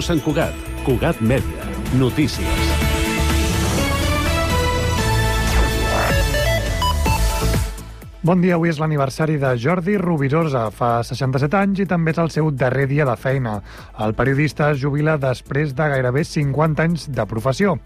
Sant Cugat. Cugat Mèdia. Notícies. Bon dia, avui és l'aniversari de Jordi Rovirosa. Fa 67 anys i també és el seu darrer dia de feina. El periodista es jubila després de gairebé 50 anys de professió.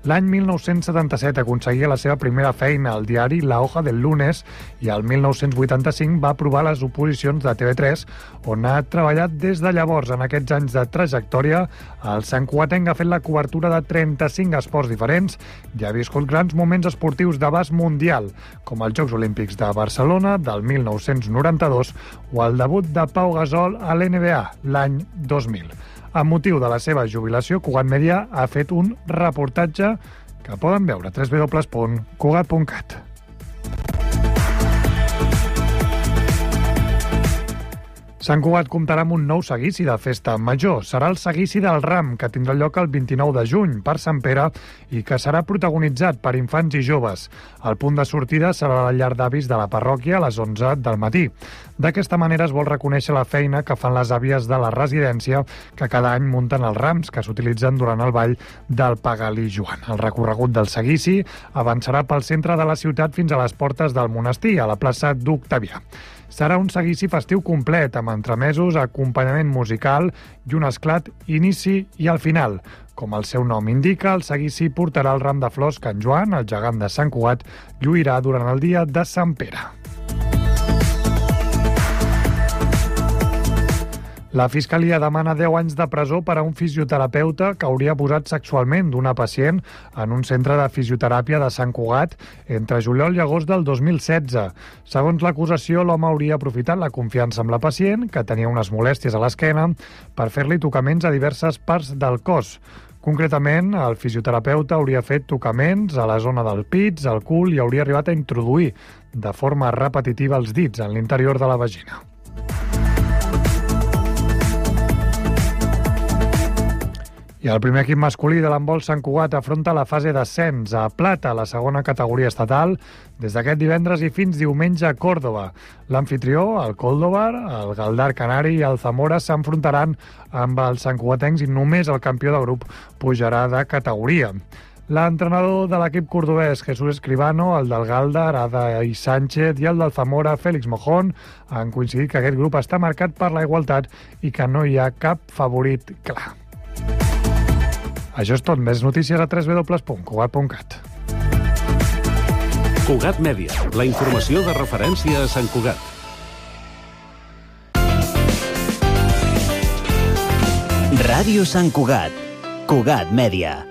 L'any 1977 aconseguia la seva primera feina al diari La Hoja del Lunes i el 1985 va aprovar les oposicions de TV3, on ha treballat des de llavors. En aquests anys de trajectòria, el santcugatenc ha fet la cobertura de 35 esports diferents i ha viscut grans moments esportius d'abast mundial, com els Jocs Olímpics de Barcelona del 1992 o el debut de Pau Gasol a l'NBA l'any 2000. Amb motiu de la seva jubilació, Cugat Mèdia ha fet un reportatge que poden veure a www.cugat.cat. Sant Cugat comptarà amb un nou seguici de festa major. Serà el seguici del Ram, que tindrà lloc el 29 de juny per Sant Pere i que serà protagonitzat per infants i joves. El punt de sortida serà la llar d'avis de la parròquia a les 11 del matí. D'aquesta manera es vol reconèixer la feina que fan les àvies de la residència que cada any munten els rams que s'utilitzen durant el ball del Pagalí Joan. El recorregut del seguici avançarà pel centre de la ciutat fins a les portes del monestir, a la plaça d'Octavià. Serà un seguici festiu complet, amb entremesos, acompanyament musical i un esclat inici i al final. Com el seu nom indica, el seguici portarà el ram de flors que en Joan, el gegant de Sant Cugat, lluirà durant el dia de Sant Pere. La Fiscalia demana 10 anys de presó per a un fisioterapeuta que hauria abusat sexualment d'una pacient en un centre de fisioteràpia de Sant Cugat entre juliol i agost del 2016. Segons l'acusació, l'home hauria aprofitat la confiança amb la pacient, que tenia unes molèsties a l'esquena, per fer-li tocaments a diverses parts del cos. Concretament, el fisioterapeuta hauria fet tocaments a la zona del pits, al cul i hauria arribat a introduir de forma repetitiva els dits en l'interior de la vagina. I el primer equip masculí de l'handbol Sant Cugat afronta la fase d'ascens a plata, la segona categoria estatal, des d'aquest divendres i fins diumenge a Còrdova. L'anfitrió, el Córdoba, el Galdar Canari i el Zamora s'enfrontaran amb els santcugatencs i només el campió de grup pujarà de categoria. L'entrenador de l'equip cordobès, Jesús Escribano, el del Galdar, Adai Sánchez, i el del Zamora, Félix Mojón, han coincidit que aquest grup està marcat per la igualtat i que no hi ha cap favorit clar. Això és tot. Més notícies a www.cugat.cat. Cugat Mèdia, la informació de referència a Sant Cugat. Ràdio Sant Cugat. Cugat Mèdia.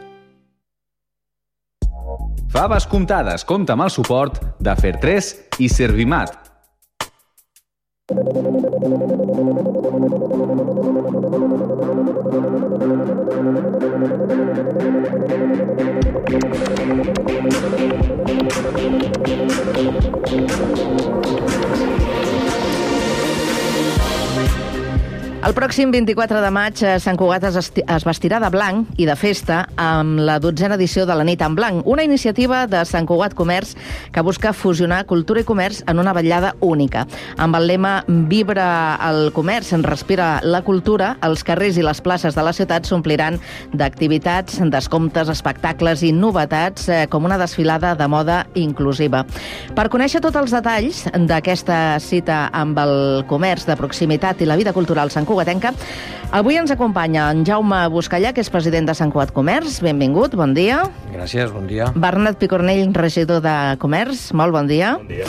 Faves comptades. Compta amb el suport de Fer3 i Servimat. El pròxim 24 de maig Sant Cugat es vestirà de blanc i de festa amb la 12a edició de la Nit en Blanc, una iniciativa de Sant Cugat Comerç que busca fusionar cultura i comerç en una vetllada única. Amb el lema Vibra el comerç, respira la cultura, els carrers i les places de la ciutat s'ompliran d'activitats, descomptes, espectacles i novetats com una desfilada de moda inclusiva. Per conèixer tots els detalls d'aquesta cita amb el comerç de proximitat i la vida cultural Sant Cugatenca, avui ens acompanya en Jaume Buscallà, que és president de Sant Cugat Comerç. Benvingut, bon dia. Gràcies, bon dia. Bernat Picornell, regidor de Comerç, molt bon dia. Bon dia.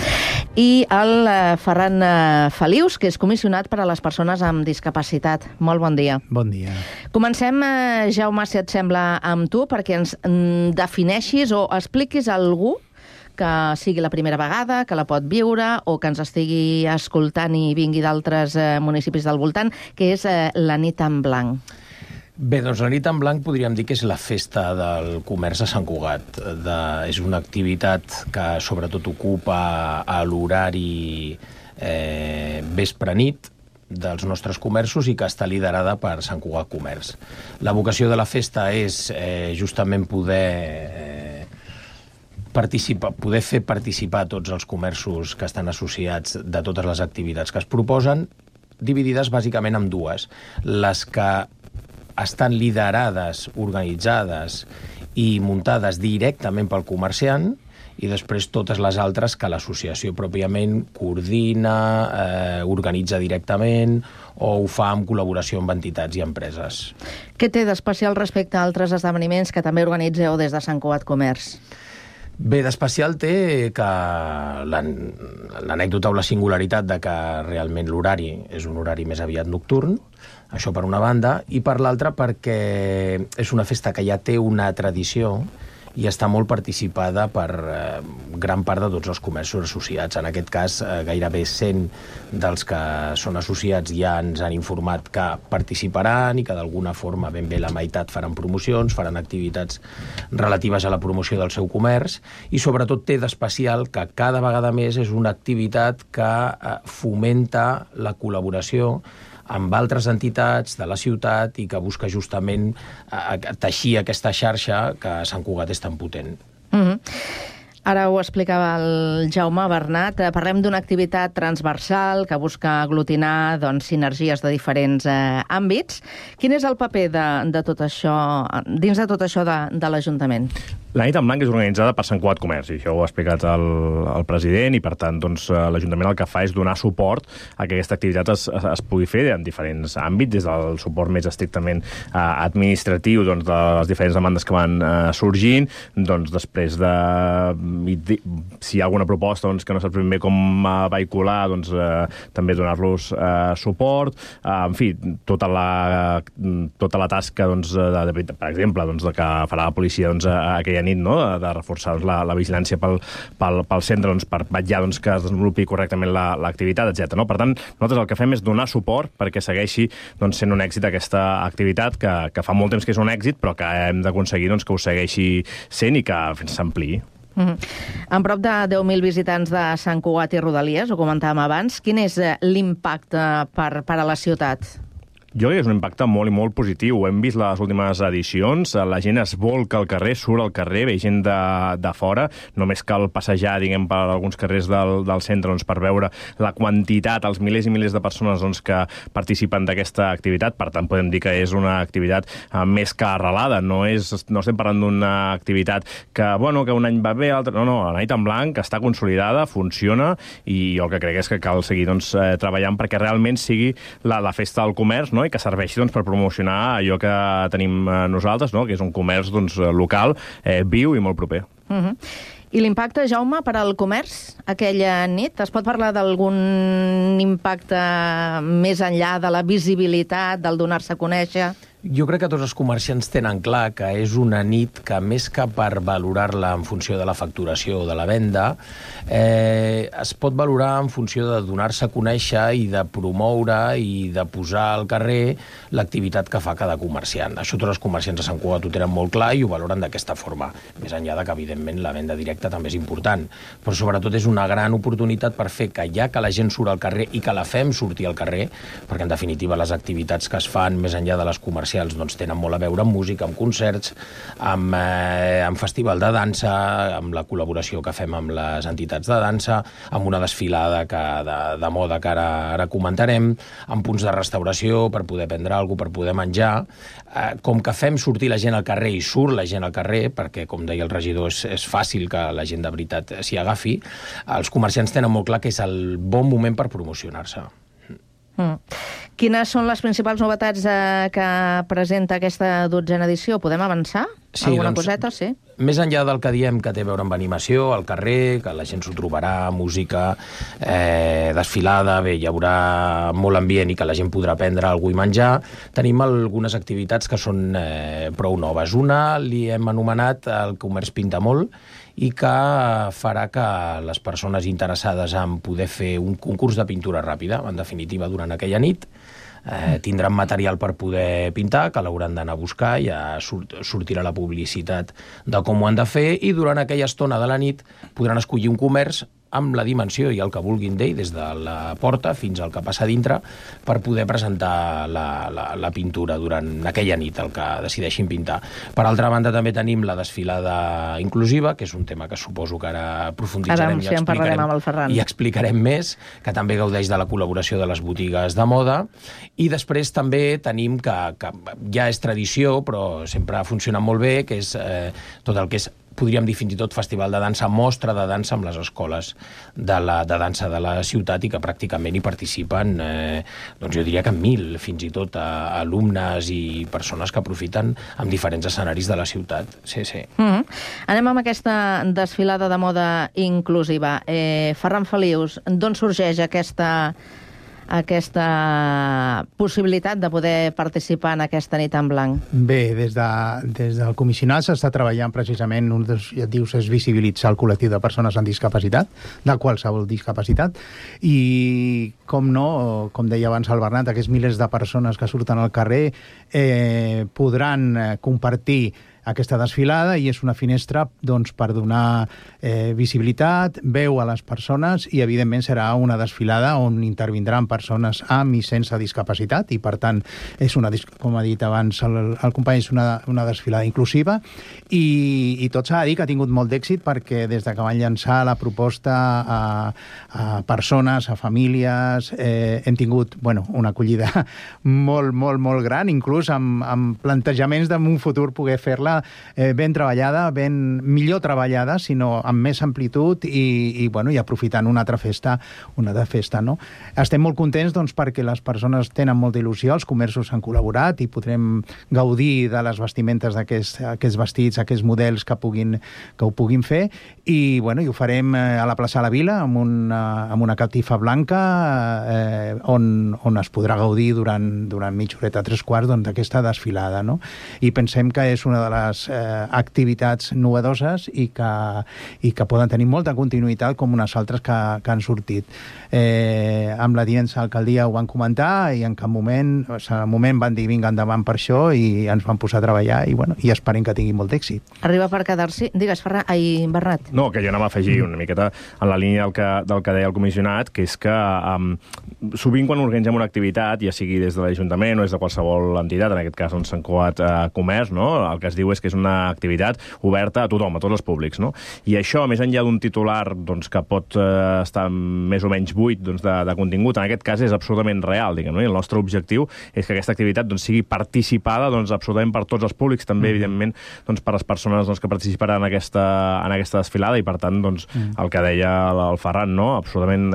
I el Ferran Felius, que és comissionat per a les persones amb discapacitat. Molt bon dia. Bon dia. Comencem, Jaume, si et sembla, amb tu, perquè ens defineixis o expliquis a algú que sigui la primera vegada, que la pot viure o que ens estigui escoltant i vingui d'altres municipis del voltant, que és la Nit en Blanc. Bé, doncs la Nit en Blanc podríem dir que és la festa del comerç a Sant Cugat. És una activitat que sobretot ocupa a l'horari vespre-nit dels nostres comerços i que està liderada per Sant Cugat Comerç. La vocació de la festa és justament poder fer participar tots els comerços que estan associats de totes les activitats que es proposen, dividides bàsicament en dues. Les que estan liderades, organitzades i muntades directament pel comerciant, i després totes les altres que l'associació pròpiament coordina, organitza directament o ho fa en col·laboració amb entitats i empreses. Què té d'especial respecte a altres esdeveniments que també organitzeu des de Sant Cugat Comerç? Bé, d'especial té que l'anècdota o la singularitat de que realment l'horari és un horari més aviat nocturn, això per una banda, i per l'altra perquè és una festa que ja té una tradició i està molt participada per gran part de tots els comerços associats. En aquest cas, gairebé 100 dels que són associats ja ens han informat que participaran i que d'alguna forma ben bé la meitat faran promocions, faran activitats relatives a la promoció del seu comerç, i sobretot té d'especial que cada vegada més és una activitat que fomenta la col·laboració amb altres entitats de la ciutat i que busca justament teixir aquesta xarxa que a Sant Cugat és tan potent. Ara ho explicava el Jaume Bernat. Parlem d'una activitat transversal que busca aglutinar sinergies de diferents àmbits. Quin és el paper de tot això, dins de tot això de l'Ajuntament? La nit en blanc és organitzada per Sant Cugat Comerç, i això ho ha explicat el president, i per tant l'Ajuntament el que fa és donar suport a que aquesta activitat es pugui fer en diferents àmbits, des del suport més estrictament administratiu de les diferents demandes que van sorgint, després de si hi ha alguna proposta que no saps ben bé com vehicular, també donar-los suport, en fi, tota la tasca, per exemple, que farà la policia aquella nit, de reforçar la vigilància pel centre per vetllar que es desenvolupi correctament l'activitat, etc. Per tant, nosaltres el que fem és donar suport perquè segueixi sent un èxit aquesta activitat, que fa molt temps que és un èxit, però que hem d'aconseguir que ho segueixi sent i que s'ampliï. En prop de 10.000 visitants de Sant Cugat i Rodalies, ho comentàvem abans, quin és l'impacte per a la ciutat? Jo crec que és un impacte molt i molt positiu. Ho hem vist les últimes edicions, la gent es volca al carrer, surt al carrer, ve gent de fora, només cal passejar, per alguns carrers del centre per veure la quantitat, els milers i milers de persones que participen d'aquesta activitat. Per tant, podem dir que és una activitat més que arrelada, no estem parlant d'una activitat que un any va bé, no, la nit en blanc està consolidada, funciona, i jo el que crec és que cal seguir treballant perquè realment sigui la festa del comerç, i que serveixi per promocionar allò que tenim nosaltres, que és un comerç local, viu i molt proper. I l'impacte, Jaume, per al comerç aquella nit? Es pot parlar d'algun impacte més enllà de la visibilitat, del donar-se a conèixer? Jo crec que tots els comerciants tenen clar que és una nit que, més que per valorar-la en funció de la facturació o de la venda, es pot valorar en funció de donar-se a conèixer i de promoure i de posar al carrer l'activitat que fa cada comerciant. Això tots els comerciants de Sant Cugat ho tenen molt clar i ho valoren d'aquesta forma. Més enllà de que, evidentment, la venda directa també és important. Però, sobretot, és una gran oportunitat per fer que ja que la gent surt al carrer i que la fem sortir al carrer, perquè, en definitiva, les activitats que es fan més enllà de les comercials tenen molt a veure amb música, amb concerts, amb festival de dansa, amb la col·laboració que fem amb les entitats de dansa, amb una desfilada de moda que ara comentarem, amb punts de restauració per poder prendre alguna cosa, per poder menjar. Com que fem sortir la gent al carrer i surt la gent al carrer, perquè, com deia el regidor, és fàcil que la gent de veritat s'hi agafi, els comerciants tenen molt clar que és el bon moment per promocionar-se. Quines són les principals novetats que presenta aquesta 12a edició? Podem avançar? Sí, alguna coseta? Sí. Més enllà del que diem que té a veure amb animació, al carrer, que la gent s'ho trobarà, música, desfilada, bé, hi haurà molt ambient i que la gent podrà prendre alguna cosa i menjar, tenim algunes activitats que són prou noves. Una li hem anomenat el Comerç Pinta Molt, i que farà que les persones interessades en poder fer un concurs de pintura ràpida, en definitiva, durant aquella nit, tindran material per poder pintar, que l'hauran d'anar a buscar, ja sortirà la publicitat de com ho han de fer, i durant aquella estona de la nit podran escollir un comerç amb la dimensió i el que vulguin d'ell, des de la porta fins al que passa dintre, per poder presentar la pintura durant aquella nit, el que decideixin pintar. Per altra banda, també tenim la desfilada inclusiva, que és un tema que suposo que ara aprofunditzarem i explicarem més, que també gaudeix de la col·laboració de les botigues de moda. I després també tenim que ja és tradició, però sempre ha funcionat molt bé, que és tot el que és, podríem dir fins i tot festival de dansa, mostra de dansa amb les escoles de dansa de la ciutat, i que pràcticament hi participen, doncs jo diria que 1.000, fins i tot alumnes i persones que aprofiten amb diferents escenaris de la ciutat. Sí, sí. Anem amb aquesta desfilada de moda inclusiva. Ferran Felius, d'on sorgeix aquesta possibilitat de poder participar en aquesta nit en blanc? Bé, des del comissionat s'està treballant precisament, un dels objectius és visibilitzar el col·lectiu de persones amb discapacitat, de qualsevol discapacitat, i com no, com deia abans el Bernat, aquests milers de persones que surten al carrer podran compartir aquesta desfilada, i és una finestra doncs, per donar visibilitat, veu a les persones, i evidentment serà una desfilada on intervindran persones amb i sense discapacitat, i per tant és com ha dit abans el company, és una desfilada inclusiva, i tot s'ha de dir que ha tingut molt d'èxit, perquè des de que van llançar la proposta a persones, a famílies, hem tingut una acollida molt, molt, molt gran, inclús amb plantejaments d'un futur poder fer-la ben treballada, millor treballada, sinó amb més amplitud i aprofitant una altra festa, no? Estem molt contents perquè les persones tenen molta il·lusió, els comerços han col·laborat i podrem gaudir de les vestimentes d'aquests vestits, aquests models que ho puguin fer, i ho farem a la plaça de la Vila amb una catifa blanca on es podrà gaudir durant mitja horeta, 3/4 d'aquesta desfilada, no? I pensem que és una de les activitats novedoses i que poden tenir molta continuïtat com unes altres que han sortit. Amb la tinença d'alcaldia ho van comentar, i en cap moment van dir vinga endavant per això, i ens van posar a treballar, i esperem que tingui molt d'èxit. Arriba per quedar-s'hi. Digues, Bernat. No, que jo anava a afegir una miqueta en la línia del que deia el comissionat, que és que sovint quan organitzem una activitat, ja sigui des de l'Ajuntament o des de qualsevol entitat, en aquest cas Sant Cugat Comerç, no? El que es diu és que és una activitat oberta a tothom, a tots els públics, no? I això, més enllà d'un titular que pot estar més o menys buit de contingut, en aquest cas és absolutament real, diguem, no? I el nostre objectiu és que aquesta activitat sigui participada absolutament per tots els públics, també, evidentment, per les persones que participaran en aquesta desfilada, i per tant, el que deia el Ferran, no? Absolutament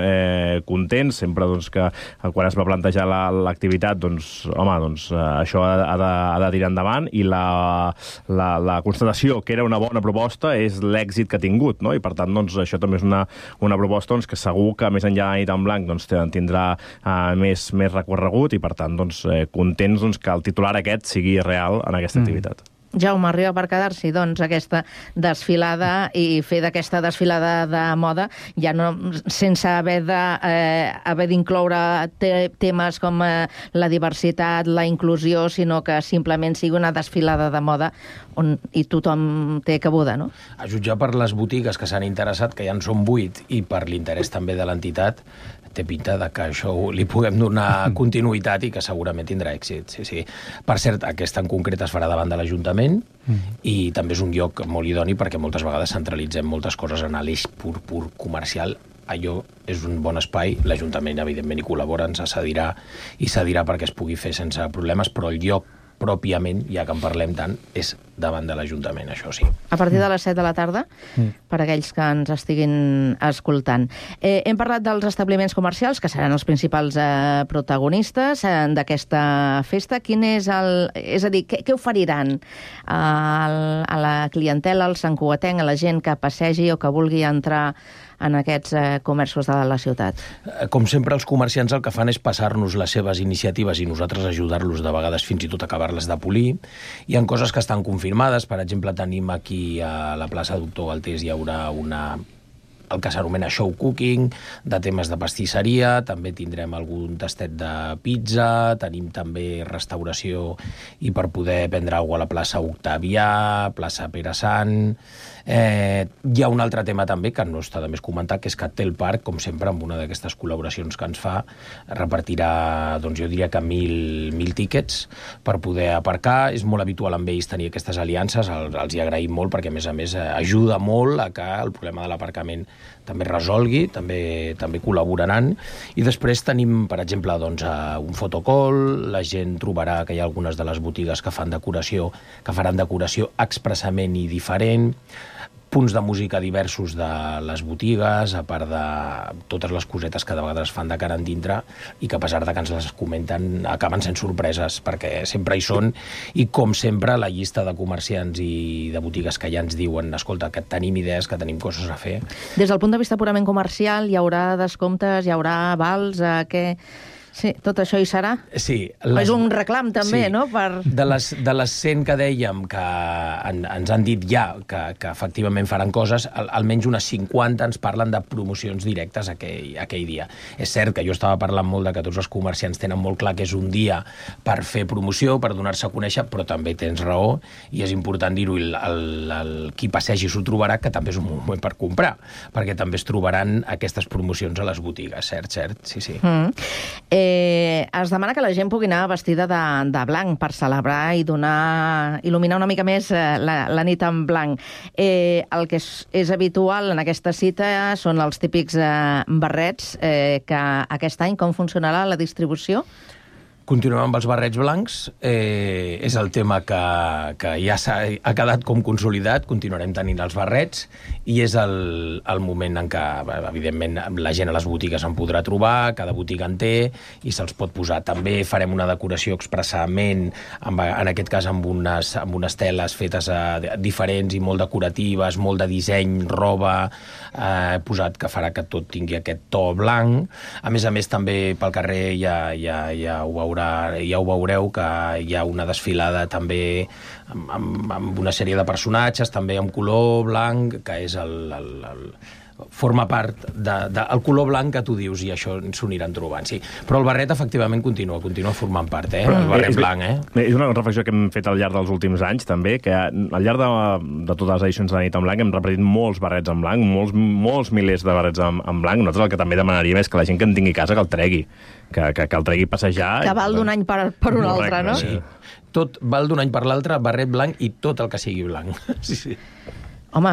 contents, sempre que quan es va plantejar l'activitat, això ha de tirar endavant, i la constatació que era una bona proposta és l'èxit que ha tingut, no? I per tant, això també és una proposta que segur que més enllà de la nit en blanc tindrà més recorregut, i per tant, contents que el titular aquest sigui real en aquesta activitat. Jaume, arriba per quedar-s'hi, aquesta desfilada, i fer d'aquesta desfilada de moda, ja no sense haver d'incloure temes com la diversitat, la inclusió, sinó que simplement sigui una desfilada de moda on tothom té cabuda, no? A jutjar per les botigues que s'han interessat, que ja en són 8, i per l'interès també de l'entitat, té pinta que això li puguem donar continuïtat i que segurament tindrà èxit. Sí. Per cert, aquesta en concret es farà davant de l'Ajuntament, i també és un lloc molt idoni perquè moltes vegades centralitzem moltes coses en l'eix pur comercial. Allò és un bon espai, l'Ajuntament evidentment hi col·labora, ens cedirà perquè es pugui fer sense problemes, però el lloc pròpiament, ja que en parlem tant, és davant de l'Ajuntament, això sí. A partir de les 7 de la tarda, per aquells que ens estiguin escoltant. Hem parlat dels establiments comercials, que seran els principals protagonistes d'aquesta festa. Quin és és a dir, què oferiran a la clientela, al santcugatenc, a la gent que passegi o que vulgui entrar en aquests comerços de la ciutat? Com sempre, els comerciants el que fan és passar-nos les seves iniciatives i nosaltres ajudar-los de vegades fins i tot a acabar-les de polir. Hi ha coses que estan confirmades. Per exemple, tenim aquí a la plaça Doctor Galtés hi haurà una el que s'anomena show cooking, de temes de pastisseria, també tindrem algun tastet de pizza, tenim també restauració i per poder prendre alguna cosa a la plaça Octavià, plaça Pere Sant. Hi ha un altre tema també que no està de més comentar, que és que Tel Parc, com sempre, amb una d'aquestes col·laboracions que ens fa, repartirà, doncs jo diria que 1.000 tíquets per poder aparcar. És molt habitual amb ells tenir aquestes aliances, els hi agraïm molt perquè, a més, ajuda molt a que el problema de l'aparcament també es resolgui, també col·laboraran. I després tenim, per exemple, doncs, un fotocall, la gent trobarà que hi ha algunes de les botigues que faran decoració expressament i diferent, punts de música diversos de les botigues, a part de totes les cosetes que de vegades fan de cara en dintre i que a pesar de que ens les comenten acaben sent sorpreses, perquè sempre hi són, i com sempre la llista de comerciants i de botigues que ja ens diuen escolta, que tenim idees, que tenim coses a fer. Des del punt de vista purament comercial, hi haurà descomptes, hi haurà vals, Sí, tot això hi serà? Sí. És un reclam, també, sí, no? De les 100 que dèiem que ens han dit ja que efectivament faran coses, almenys unes 50 ens parlen de promocions directes aquell dia. És cert que jo estava parlant molt de que tots els comerciants tenen molt clar que és un dia per fer promoció, per donar-se a conèixer, però també tens raó, i és important dir-ho, qui passegi s'ho trobarà, que també és un moment per comprar, perquè també es trobaran aquestes promocions a les botigues, cert, sí. Es demana que la gent pugui anar vestida de blanc per celebrar i il·luminar una mica més la nit en blanc. El que és habitual en aquesta cita són els típics barrets, que aquest any com funcionarà la distribució? Continuem amb els barrets blancs, és el tema que ja ha quedat com consolidat, continuarem tenint els barrets, i és el moment en què, evidentment, la gent a les botigues en podrà trobar, cada botiga en té, i se'ls pot posar. També farem una decoració expressament, en aquest cas amb unes teles fetes diferents i molt decoratives, molt de disseny, roba, posat que farà que tot tingui aquest to blanc. A més, també pel carrer ja ho veureu, que hi ha una desfilada també amb una sèrie de personatges, també amb color blanc, que és forma part del color blanc que tu dius, i això s'ho aniran trobant, sí. Però el barret, efectivament, continua formant part, el barret blanc, És una reflexió que hem fet al llarg dels últims anys, també, que al llarg de totes les edicions de la nit en blanc hem repetit molts barrets en blanc, molts milers de barrets en blanc. Nosaltres el que també demanaríem és que la gent que en tingui a casa que el tregui, que el tregui a passejar. Que val d'un any per un altre, no? Sí. Tot val d'un any per l'altre, barret blanc i tot el que sigui blanc. Sí. Home,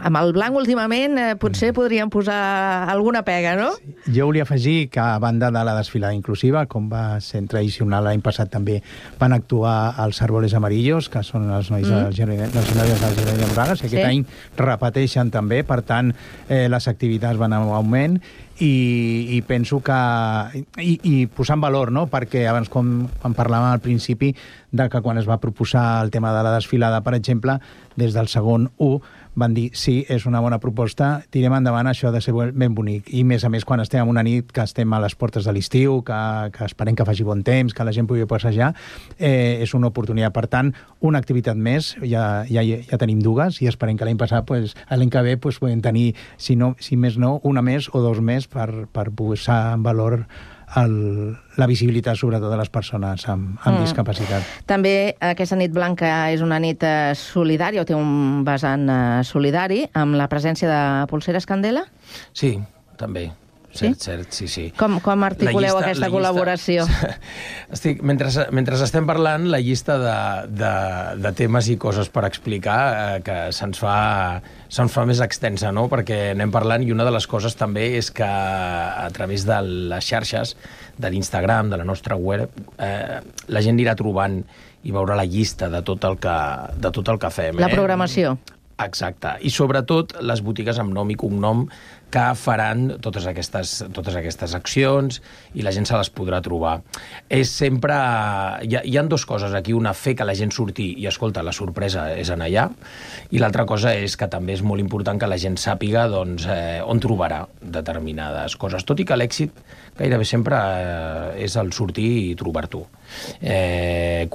amb el blanc últimament potser podríem posar alguna pega, no? Sí. Jo volia afegir que a banda de la desfilada inclusiva, com va ser tradicional l'any passat, també van actuar els Árboles Amarillos, que són els nois dels noies del Jardí de Morales, i aquest any repeteixen també, per tant, les activitats van en augment, i penso que i posar en valor, no? Perquè abans quan parlàvem al principi de que quan es va proposar el tema de la desfilada, per exemple, des del segon 1 van dir sí, és una bona proposta, tirem endavant, això ha de ser ben bonic. I més a més quan estem en una nit que estem a les portes de l'estiu, que esperem que faci bon temps, que la gent pugui passejar, és una oportunitat. Per tant, una activitat més, ja tenim dues, i esperem que l'any passat, l'any que ve, podem tenir, si més no, una més o dos més per posar en valor la visibilitat, sobretot, de les persones amb discapacitat. També aquesta nit blanca és una nit solidària, o té un vessant solidari, amb la presència de Polseres Candela? Sí, també. Cert, sí. Com articuleu aquesta col·laboració? Mentre estem parlant, la llista de temes i coses per explicar que se'ns fa més extensa, no? Perquè anem parlant, i una de les coses també és que a través de les xarxes, de l'Instagram, de la nostra web, la gent anirà trobant i veurà la llista de tot el que fem. La programació. Exacte. I sobretot les botigues amb nom i cognom que faran totes aquestes accions, i la gent se les podrà trobar. És sempre... Hi ha dues coses aquí. Una, fer que la gent surti i, escolta, la sorpresa és anar allà, i l'altra cosa és que també és molt important que la gent sàpiga on trobarà determinades coses. Tot i que l'èxit gairebé sempre és el sortir i trobar-t'ho.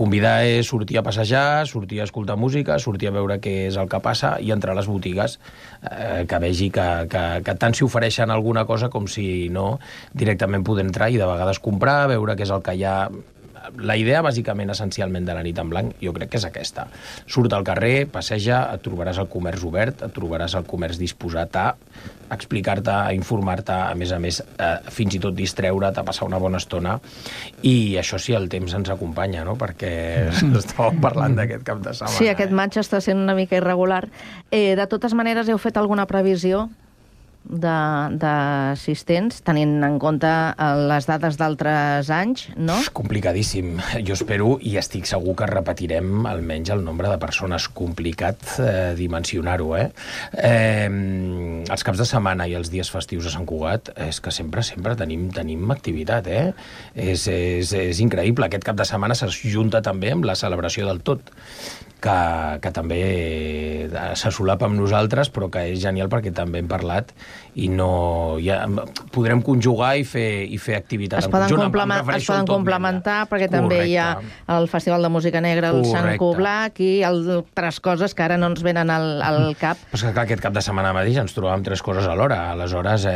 Convidar és sortir a passejar, sortir a escoltar música, sortir a veure què és el que passa i entrar a les botigues, que vegi que tant, si ofereixen alguna cosa, com si no, directament poder entrar i de vegades comprar, veure què és el que hi ha. La idea, bàsicament, essencialment, de la nit en blanc, jo crec que és aquesta. Surt al carrer, passeja, et trobaràs el comerç obert, et trobaràs el comerç disposat a explicar-te, a informar-te, a més, fins i tot distreure't, a passar una bona estona, i això sí, el temps ens acompanya, no?, perquè estàvem parlant d'aquest cap de setmana. Sí, aquest maig està sent una mica irregular. De totes maneres, heu fet alguna previsió d'assistents, tenint en compte les dades d'altres anys, no? És complicadíssim. Jo espero i estic segur que repetirem almenys el nombre de persones. Complicat dimensionar-ho, els caps de setmana i els dies festius a Sant Cugat és que sempre tenim activitat, És increïble. Aquest cap de setmana s'ajunta també amb la celebració del tot, que també se solapa amb nosaltres, però que és genial perquè també hem parlat i podrem conjugar i fer activitat en conjunt. Es poden complementar perquè també hi ha el Festival de Música Negra, el Sant Coblac i altres coses que ara no ens venen al cap. Però és que aquest cap de setmana mateix ens trobàvem 3 coses alhora. Aleshores,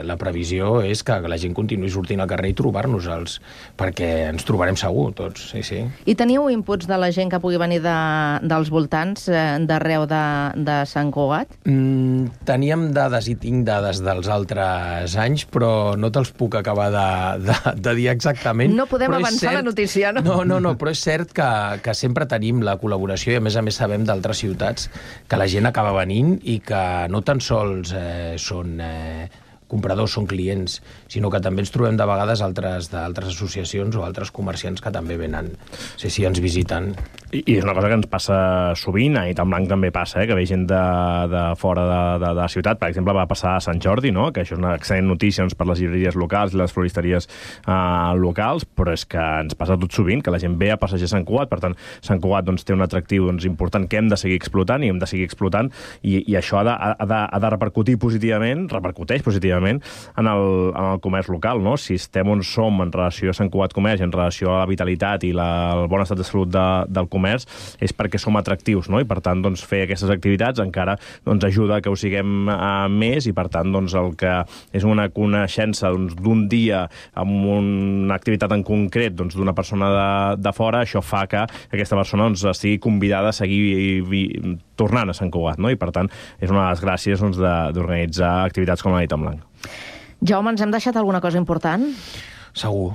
la previsió és que la gent continuï sortint al carrer i trobar-nos-els, perquè ens trobarem segur tots, sí. I teniu inputs de la gent que pugui venir dels voltants d'arreu de Sant Cugat? Teníem dades i tinc dades dels altres anys, però no te'ls puc acabar de dir exactament. No podem avançar la notícia, no? No, però és cert que sempre tenim la col·laboració i a més sabem d'altres ciutats que la gent acaba venint i que no tan sols són compradors, són clients, sinó que també ens trobem de vegades d'altres associacions o altres comerciants que també venen, ens visiten. I és una cosa que ens passa sovint, a Nit en Blanc també passa, que ve gent de fora de la ciutat. Per exemple, va passar a Sant Jordi, no?, que això és una excel·lent notícia per les llibreries locals i les floristeries locals, però és que ens passa tot sovint, que la gent ve a passejar Sant Cugat. Per tant, Sant Cugat té un atractiu important que hem de seguir explotant i això ha de repercutir positivament, repercuteix positivament en el comerç local, no? Si estem on som en relació a Sant Cugat Comerç, en relació a la vitalitat i el bon estat de salut del comerç, és perquè som atractius, no? I per tant, fer aquestes activitats encara ajuda que ho siguem més, i per tant, el que és una coneixença d'un dia amb una activitat en concret d'una persona de fora, això fa que aquesta persona estigui convidada a seguir tornant a Sant Cugat, no? I per tant, és una de les gràcies d'organitzar activitats com la Nit en Blanc. Jaume, ens hem deixat alguna cosa important? Segur.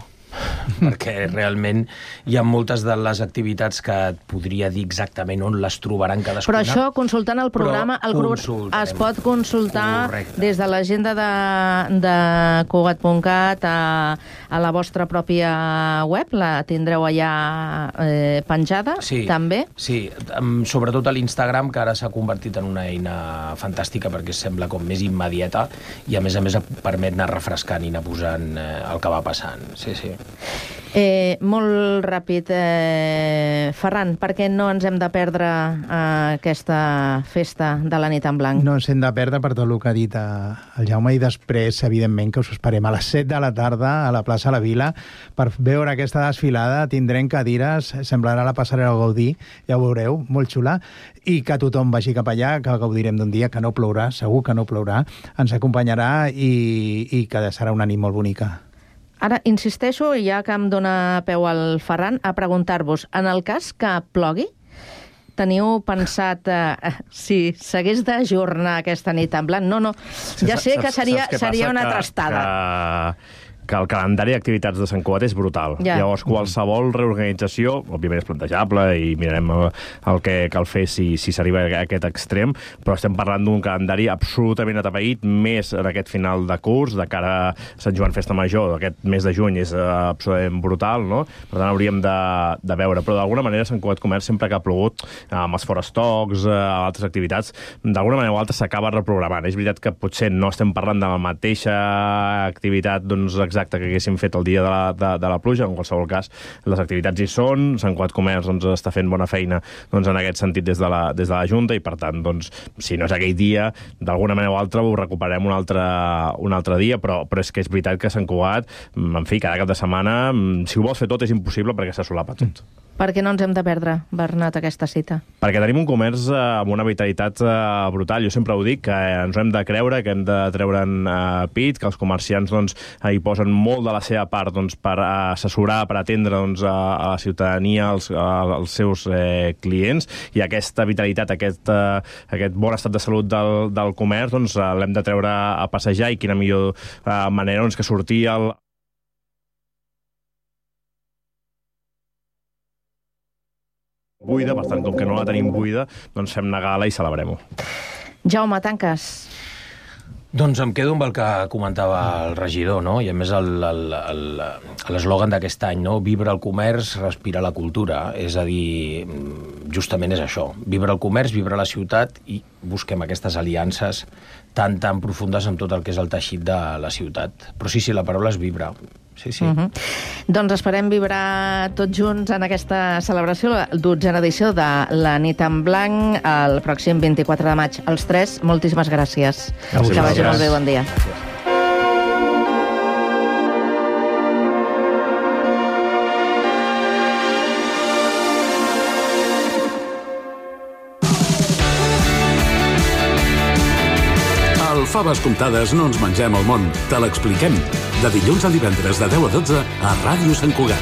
Perquè realment hi ha moltes de les activitats que et podria dir exactament on les trobaran cadascuna. Però això, consultant el programa, es pot consultar des de l'agenda de Cugat.cat a la vostra pròpia web, la tindreu allà penjada, també? Sí, sobretot a l'Instagram, que ara s'ha convertit en una eina fantàstica perquè sembla com més immediata i a més permet anar refrescant i anar posant el que va passant. Sí. Molt ràpid, Ferran, per què no ens hem de perdre aquesta festa de la Nit en Blanc? No ens hem de perdre per tot el que ha dit el Jaume, i després, evidentment, que us esperem a les 7 de la tarda a la plaça La Vila per veure aquesta desfilada. Tindrem cadires, semblarà la passarel·la Gaudí, ja ho veureu, molt xula, i que tothom vagi cap allà, que gaudirem d'un dia, que no plourà, segur que no plourà, ens acompanyarà i que serà una nit molt bonica. Ara, insisteixo, ja que em dóna peu al Ferran, a preguntar-vos, en el cas que plogui, teniu pensat si s'hagués d'ajornar aquesta Nit en Blanc? No, ja sé que seria una trastada. Que el calendari d'activitats de Sant Cugat és brutal. Llavors, qualsevol reorganització, òbviament és plantejable i mirarem el que cal fer si s'arriba a aquest extrem, però estem parlant d'un calendari absolutament atapeït, més en aquest final de curs, de cara a Sant Joan Festa Major, aquest mes de juny és absolutament brutal, no? Per tant, hauríem de veure. Però d'alguna manera Sant Cugat Comerç, sempre que ha plogut, amb els forestocs, altres activitats, d'alguna manera o altra s'acaba reprogramant. És veritat que potser no estem parlant de la mateixa activitat, exacta que haguéssim fet el dia de la pluja. En qualsevol cas, les activitats hi són, Sant Cugat Comerç està fent bona feina en aquest sentit des de la Junta, i per tant, si no és aquell dia, d'alguna manera o altra ho recuperem un altre dia, però és que és veritat que Sant Cugat, en fi, cada cap de setmana, si ho vols fer tot és impossible perquè se solapa tot. Per què no ens hem de perdre, Bernat, aquesta cita? Perquè tenim un comerç amb una vitalitat brutal. Jo sempre ho dic, que ens ho hem de creure, que hem de treure'n pit, que els comerciants hi posen molt de la seva part per assessorar, per atendre a la ciutadania, als seus clients, i aquesta vitalitat, aquest bon estat de salut del comerç l'hem de treure a passejar, i quina millor manera que sortir buida, per tant, com que no la tenim buida, fem una gala i celebrem-ho. Jaume, tanques. Doncs em quedo amb el que comentava el regidor, no? I a més l'eslògan d'aquest any, no? Vibra el comerç, respira la cultura. És a dir, justament és això. Vibra el comerç, vibra la ciutat, i busquem aquestes aliances tan profundes amb tot el que és el teixit de la ciutat. Però sí, la paraula és vibra. Sí. Doncs esperem vibrar tots junts en aquesta celebració, la 12a edició de la Nit en Blanc, el pròxim 24 de maig. Els tres, moltíssimes gràcies. Que vagi molt bé, bon dia. Al Faves Comptades no ens mengem el món, te l'expliquem. De dilluns a divendres de 10 a 12 a Ràdio Sant Cugat.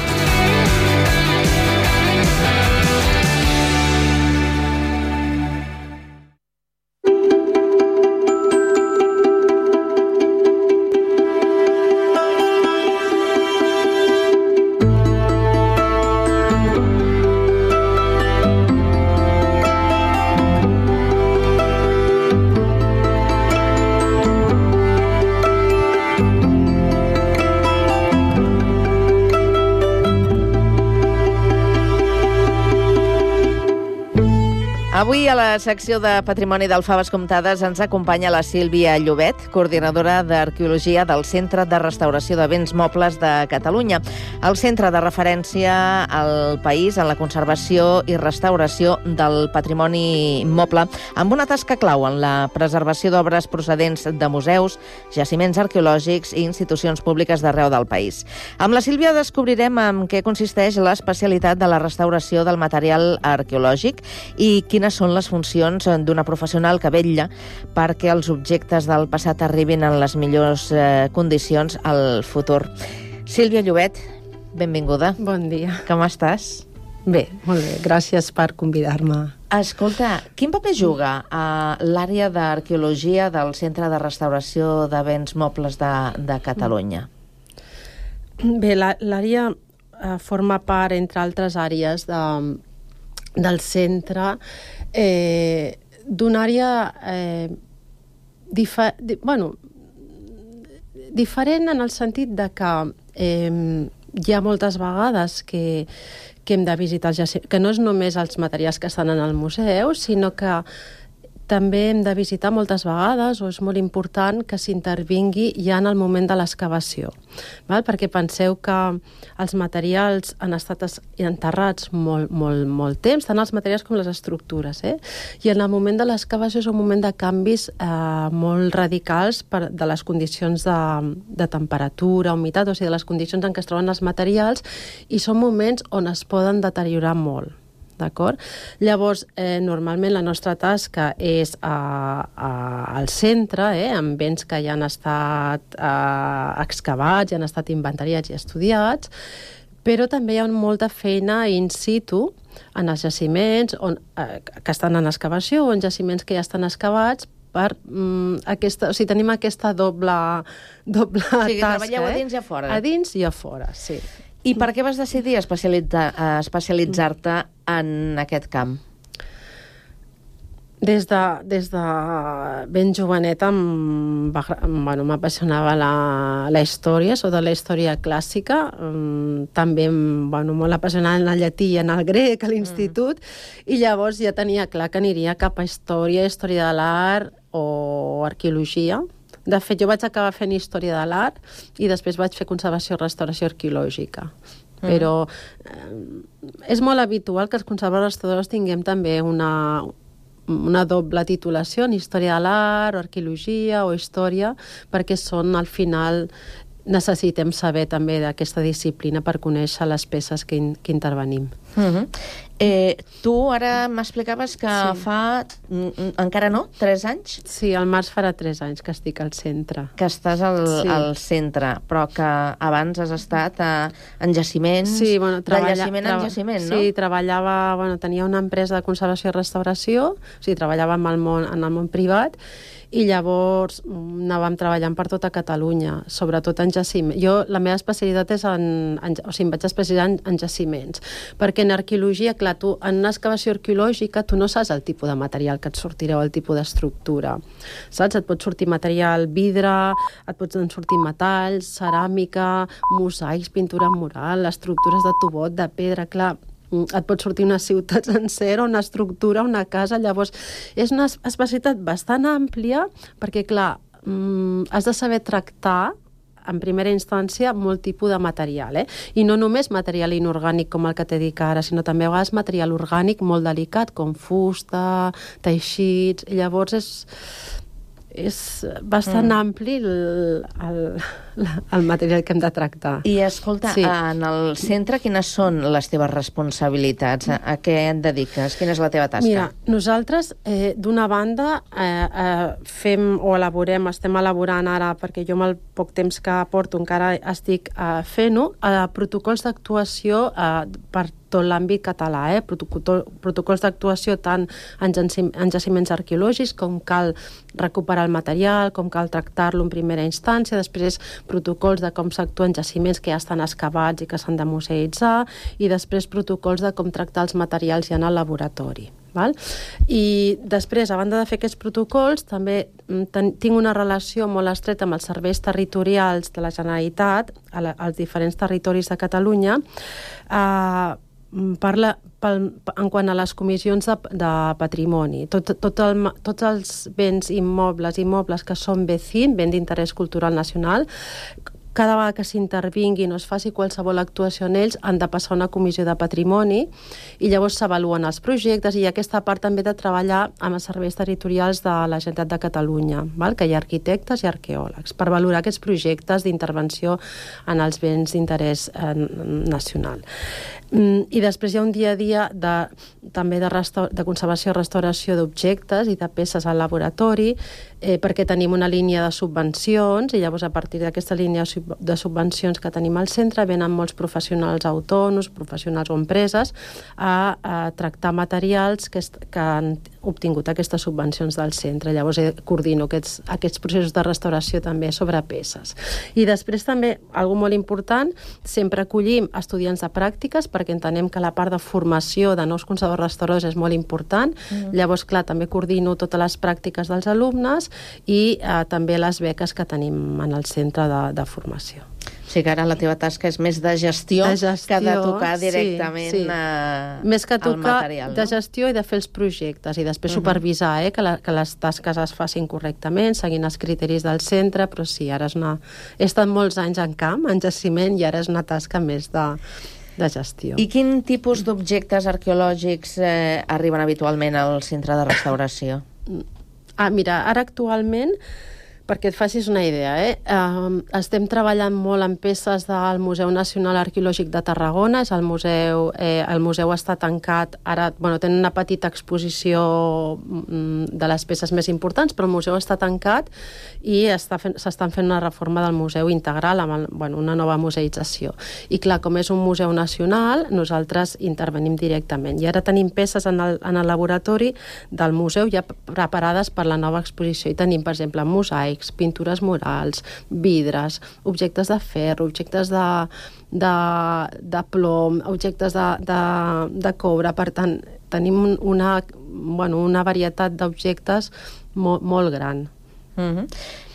Avui a la secció de Patrimoni del Faves Comptades ens acompanya la Sílvia Llobet, coordinadora d'Arqueologia del Centre de Restauració de Béns Mobles de Catalunya, el centre de referència al país en la conservació i restauració del patrimoni moble, amb una tasca clau en la preservació d'obres procedents de museus, jaciments arqueològics i institucions públiques d'arreu del país. Amb la Sílvia descobrirem en què consisteix l'especialitat de la restauració del material arqueològic i quines són les funcions d'una professional que vetlla perquè els objectes del passat arribin en les millors condicions al futur. Sílvia Llobet, benvinguda. Bon dia. Com estàs? Bé, molt bé. Gràcies per convidar-me. Escolta, quin paper juga a l'àrea d'arqueologia del Centre de Restauració de Béns Mobles de Catalunya? Bé, l'àrea forma part, entre altres àrees, del centre, d'una àrea diferent en el sentit de que hi ha moltes vegades que hem de visitar els jaciments, que no és només els materials que estan en el museu, sinó que també hem de visitar moltes vegades, o és molt important que s'intervingui ja en el moment de l'excavació, perquè penseu que els materials han estat enterrats molt temps, tant els materials com les estructures, i en el moment de l'excavació és un moment de canvis molt radicals de les condicions de temperatura, humitat, o sigui, de les condicions en què es troben els materials, i són moments on es poden deteriorar molt. D'acord? Llavors, normalment la nostra tasca és al centre, amb béns que ja han estat excavats, ja han estat inventariats i estudiats, però també hi ha molta feina in situ en els jaciments que estan en excavació o en jaciments que ja estan excavats o sigui, tenim aquesta doble tasca. O sigui, treballeu a dins i a fora. A dins i a fora, sí. I per què vas decidir especialitzar-te en aquest camp? Des de ben jovenet m'apassionava la història, sobretot la història clàssica. També molt apassionada en el llatí i en el grec a l'institut, i llavors ja tenia clar que aniria cap a història de l'art o arqueologia. De fet, jo vaig acabar fent història de l'art i després vaig fer conservació i restauració arqueològica. Però és molt habitual que els conservadors restauradors tinguem també una doble titulació en història de l'art, o arqueologia, o història, perquè al final necessitem saber també d'aquesta disciplina per conèixer les peces que intervenim. Tu ara m'explicaves que fa, encara no, 3 anys? Sí, al març farà 3 anys que estic al centre. Que estàs al centre, però que abans has estat en jaciments, sí, bueno, de jaciment en jaciment, no? Sí, treballava, tenia una empresa de conservació i restauració, o sigui, treballava en el món privat, i llavors anàvem treballant per tota Catalunya, sobretot en jaciments. Jo, la meva especialitat és o sigui, em vaig especialitzar en jaciments, perquè en arqueologia, clar, tu, en una excavació arqueològica, tu no saps el tipus de material que et sortirà o el tipus d'estructura, saps? Et pot sortir material vidre, et poden sortir metalls, ceràmica, mosaics, pintura mural, estructures de tubot, de pedra, clar, et pot sortir una ciutat sencera, una estructura, una casa. Llavors, és una especialitat bastant àmplia perquè, clar, has de saber tractar en primera instància molt tipus de material, I no només material inorgànic com el que t'he dit ara, sinó també a vegades material orgànic molt delicat, com fusta, teixits. Llavors és bastant ampli el material que hem de tractar. I escolta, en el centre quines són les teves responsabilitats? A què et dediques? Quina és la teva tasca? Mira, nosaltres, d'una banda, estem elaborant ara, perquè jo amb el poc temps que porto encara estic fent-ho, protocols d'actuació per tot l'àmbit català, protocols d'actuació tant en jaciments arqueològics, com cal recuperar el material, com cal tractar-lo en primera instància, després protocols de com s'actua en jaciments que ja estan excavats i que s'han de museïtzar, i després protocols de com tractar els materials ja en el laboratori. I després, a banda de fer aquests protocols, també tinc una relació molt estreta amb els serveis territorials de la Generalitat als diferents territoris de Catalunya, en quant a les comissions de patrimoni. Tots els béns immobles que són BCIN, béns d'interès cultural nacional, cada vegada que s'intervinguin o es faci qualsevol actuació en ells, han de passar una comissió de patrimoni i llavors s'avaluen els projectes, i aquesta part també de treballar amb els serveis territorials de la Generalitat de Catalunya, que hi ha arquitectes i arqueòlegs, per valorar aquests projectes d'intervenció en els béns d'interès nacional. I després hi ha un dia a dia també de conservació i restauració d'objectes i de peces al laboratori, perquè tenim una línia de subvencions, i llavors a partir d'aquesta línia de subvencions que tenim al centre venen molts professionals autònoms, professionals o empreses a tractar materials que han obtingut aquestes subvencions del centre. Llavors coordino aquests processos de restauració també sobre peces. I després també, algo molt important, sempre acollim estudiants de pràctiques, perquè entenem que la part de formació de nous conservadors restauradors és molt important. Llavors, clar, també coordino totes les pràctiques dels alumnes i també les beques que tenim en el centre de formació. O sigui que ara la teva tasca és més de gestió que de tocar directament el material. Més que tocar de gestió i de fer els projectes, i després supervisar que les tasques es facin correctament, seguint els criteris del centre, però sí, ara he estat molts anys en camp, en jaciment, i ara és una tasca més de gestió. I quin tipus d'objectes arqueològics arriben habitualment al centre de restauració? Mira, ara actualment, perquè et facis una idea, estem treballant molt en peces del Museu Nacional Arqueològic de Tarragona. El museu està tancat, ara tenen una petita exposició de les peces més importants, però el museu està tancat i s'estan fent una reforma del museu integral amb una nova museïtzació. I clar, com és un museu nacional, nosaltres intervenim directament. I ara tenim peces en el laboratori del museu ja preparades per la nova exposició. I tenim, per exemple, mosaics, pintures murals, vidres, objectes de ferro, objectes de plom, objectes de coure. Per tant, tenim una varietat d'objectes molt gran.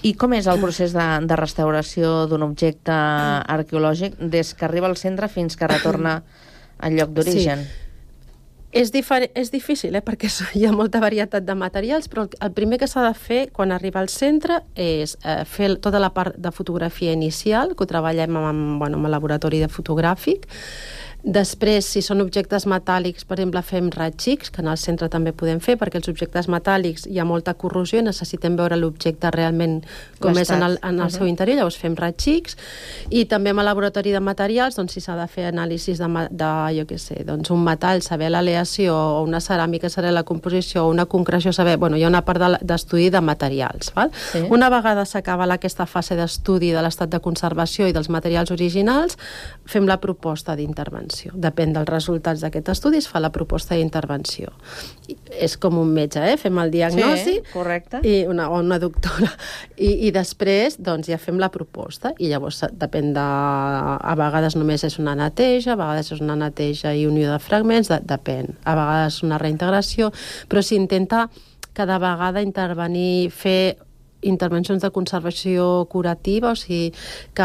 I com és el procés de restauració d'un objecte arqueològic des que arriba al centre fins que retorna al lloc d'origen? Sí. És difícil, perquè hi ha molta varietat de materials, però el primer que s'ha de fer quan arriba al centre és fer tota la part de fotografia inicial, que ho treballem amb el laboratori de fotogràfic, Després, si són objectes metàl·lics, per exemple, fem raig-X, que en el centre també podem fer, perquè els objectes metàl·lics hi ha molta corrosió i necessitem veure l'objecte realment com és en el seu interior, llavors fem raig-X. I també amb el laboratori de materials, doncs, si s'ha de fer anàlisis de jo què sé, doncs un metall, saber l'aleació, o una ceràmica, saber la composició, o una concreció, saber... Bueno, hi ha una part d'estudi de materials, val? Sí. Una vegada s'acaba aquesta fase d'estudi de l'estat de conservació i dels materials originals, fem la proposta d'intervenció. Depèn dels resultats d'aquest estudi, es fa la proposta d'intervenció. És com un metge, fem el diagnòstic, sí, correcte. O una doctora, i després doncs, ja fem la proposta, i llavors depèn de... A vegades només és una neteja, a vegades és una neteja i unió de fragments, depèn. A vegades una reintegració, però s'intenta cada vegada intervenir, fer intervencions de conservació curativa, o sigui que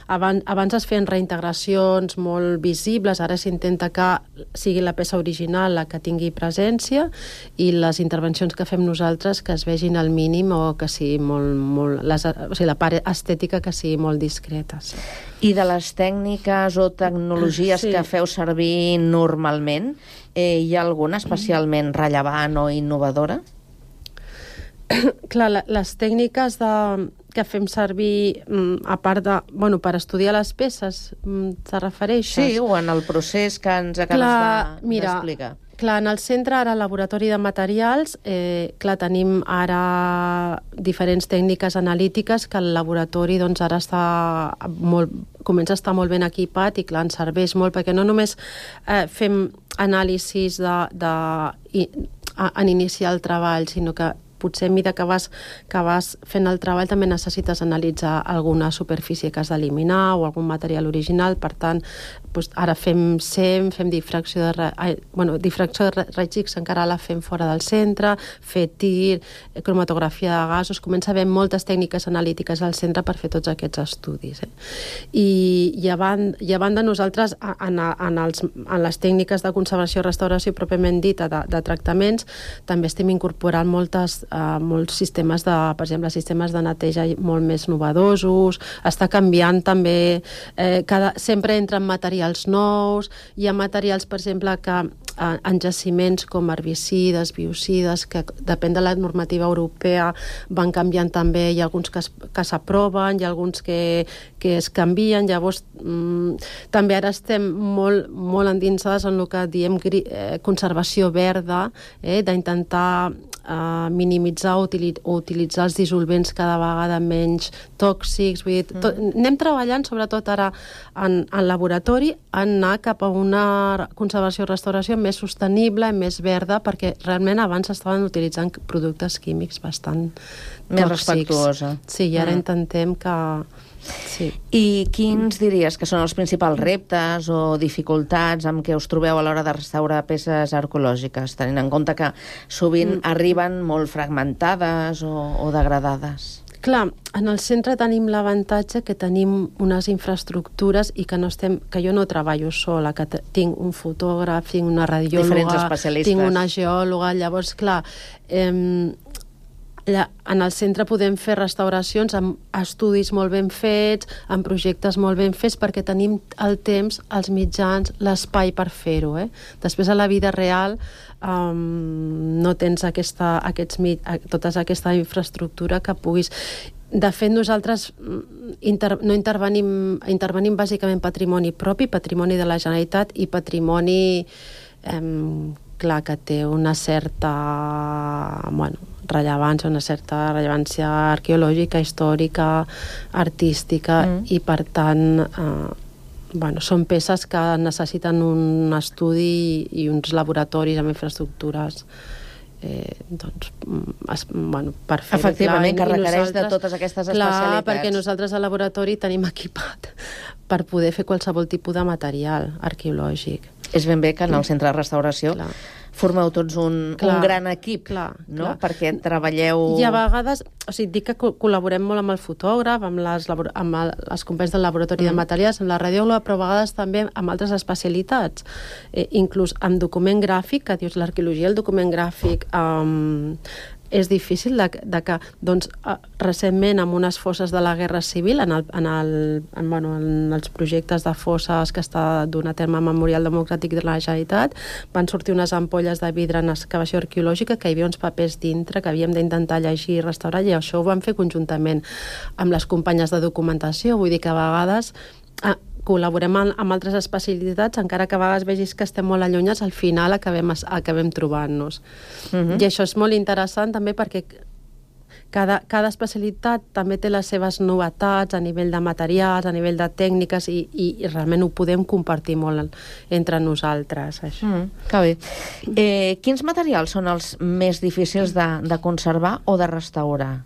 abans es feien reintegracions molt visibles, ara s'intenta que sigui la peça original la que tingui presència i les intervencions que fem nosaltres que es vegin al mínim o que sigui molt o sigui, la part estètica que sigui molt discreta. Sí. I de les tècniques o tecnologies que feu servir normalment, hi ha alguna especialment rellevant o innovadora? Clar, les tècniques que fem servir, a part de... Bueno, per estudiar les peces, te refereixes? Sí, o en el procés que ens acabes d'explicar. Clar, en el centre, ara, al laboratori de materials, tenim ara diferents tècniques analítiques que el laboratori doncs, ara comença a estar molt ben equipat i, clar, ens serveix molt, perquè no només fem anàlisis en iniciar el treball, sinó que potser a mesura que vas fent el treball també necessites analitzar alguna superfície que has d'eliminar o algun material original, per tant ara fem SEM, fem difracció de raig-X encara la fem fora del centre, fer tir, cromatografia de gasos, comença a haver moltes tècniques analítiques al centre per fer tots aquests estudis. I a banda nosaltres en les tècniques de conservació i restauració pròpiament dita de tractaments també estem incorporant molts sistemes per exemple, sistemes de neteja molt més novedosos, està canviant també, sempre entren materials nous, hi ha materials, per exemple, que en jaciments com herbicides, biocides, que depèn de la normativa europea van canviant també, hi ha alguns que s'aproven, hi ha alguns que es canvien, llavors també ara estem molt endinsades en el que diem conservació verda, d'intentar minimitzar o utilitzar els dissolvents cada vegada menys tòxics. Vull dir, anem treballant, sobretot ara en laboratori, en anar cap a una conservació i restauració més sostenible, més verda, perquè realment abans estaven utilitzant productes químics bastant més tòxics. Respectuosa. Sí, i ara intentem que... Sí. I quins diries que són els principals reptes o dificultats amb què us trobeu a l'hora de restaurar peces arqueològiques, tenint en compte que sovint arriben molt fragmentades o degradades? Clar, en el centre tenim l'avantatge que tenim unes infraestructures i que jo no treballo sola, que tinc un fotògraf, tinc una radiòloga, tinc una geòloga, llavors, clar, en el centre podem fer restauracions amb estudis molt ben fets, amb projectes molt ben fets, perquè tenim el temps, els mitjans, l'espai per fer-ho. Després, a la vida real, no tens tota aquesta infraestructura que puguis... De fet, nosaltres no intervenim bàsicament patrimoni propi, patrimoni de la Generalitat i patrimoni... clar, que té una certa rellevància arqueològica, històrica, artística, i per tant són peces que necessiten un estudi i uns laboratoris amb infraestructures per fer-ho. Efectivament, que requereix de totes aquestes especialitats. Clar, perquè nosaltres al laboratori tenim equipat per poder fer qualsevol tipus de material arqueològic. És ben bé que en el centre de restauració formeu tots un gran equip, no? Perquè treballeu... I a vegades, dic que col·laborem molt amb el fotògraf, amb els companys del laboratori de materials, amb la radiòloga, però a vegades també amb altres especialitats, inclús amb document gràfic, que dius l'arqueologia, el document gràfic, és difícil de que, doncs, recentment, amb unes fosses de la Guerra Civil, en els projectes de fosses que està donant a terme Memorial Democràtic de la Generalitat, van sortir unes ampolles de vidre en excavació arqueològica que hi havia uns papers dintre que havíem d'intentar llegir i restaurar, i això ho vam fer conjuntament amb les companyes de documentació. Vull dir que a vegades col·laborem amb altres especialitats, encara que a vegades vegis que estem molt allunyats, al final acabem trobant-nos. I això és molt interessant també perquè cada especialitat també té les seves novetats a nivell de materials, a nivell de tècniques, i realment ho podem compartir molt entre nosaltres, això. Que bé. Quins materials són els més difícils de conservar o de restaurar?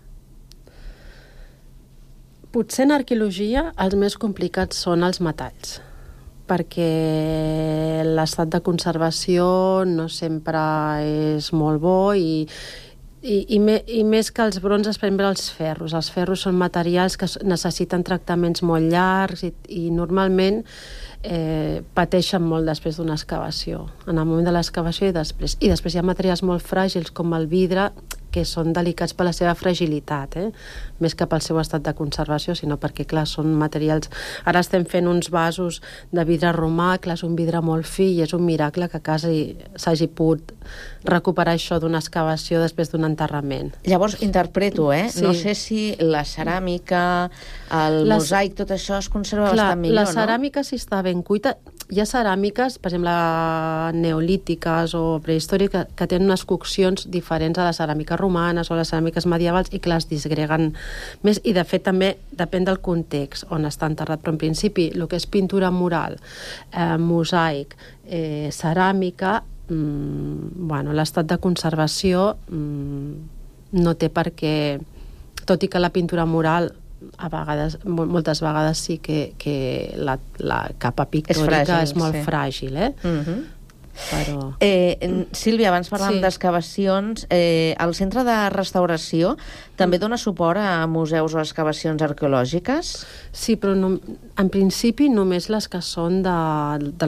Potser en arqueologia els més complicats són els metalls, perquè l'estat de conservació no sempre és molt bo, i més que els bronzes, per exemple, els ferros. Els ferros són materials que necessiten tractaments molt llargs i normalment pateixen molt després d'una excavació, en el moment de l'excavació i després. I després hi ha materials molt fràgils com el vidre, que són delicats per la seva fragilitat, més que pel seu estat de conservació, sinó perquè, clar, són materials... Ara estem fent uns vasos de vidre romà, clar, és un vidre molt fi, i és un miracle que quasi s'hagi pogut recuperar això d'una excavació després d'un enterrament. Llavors, interpreto, Sí. No sé si la ceràmica, el mosaic, tot això es conserva bastant millor, no? La ceràmica, si està ben cuita... Hi ha ceràmiques, per exemple, neolítiques o prehistòriques, que tenen unes coccions diferents a les ceràmiques romanes o a les ceràmiques medievals, i que les disgreguen més, i de fet també depèn del context on està enterrat, però en principi el que és pintura mural, mosaic, ceràmica, l'estat de conservació no té per què, tot i que la pintura mural a vegades, moltes vegades sí que la capa pictòrica és molt fràgil, Però... Sílvia, abans parlàvem d'excavacions. El Centre de Restauració també dona suport a museus o excavacions arqueològiques? Sí, però en principi només les que són de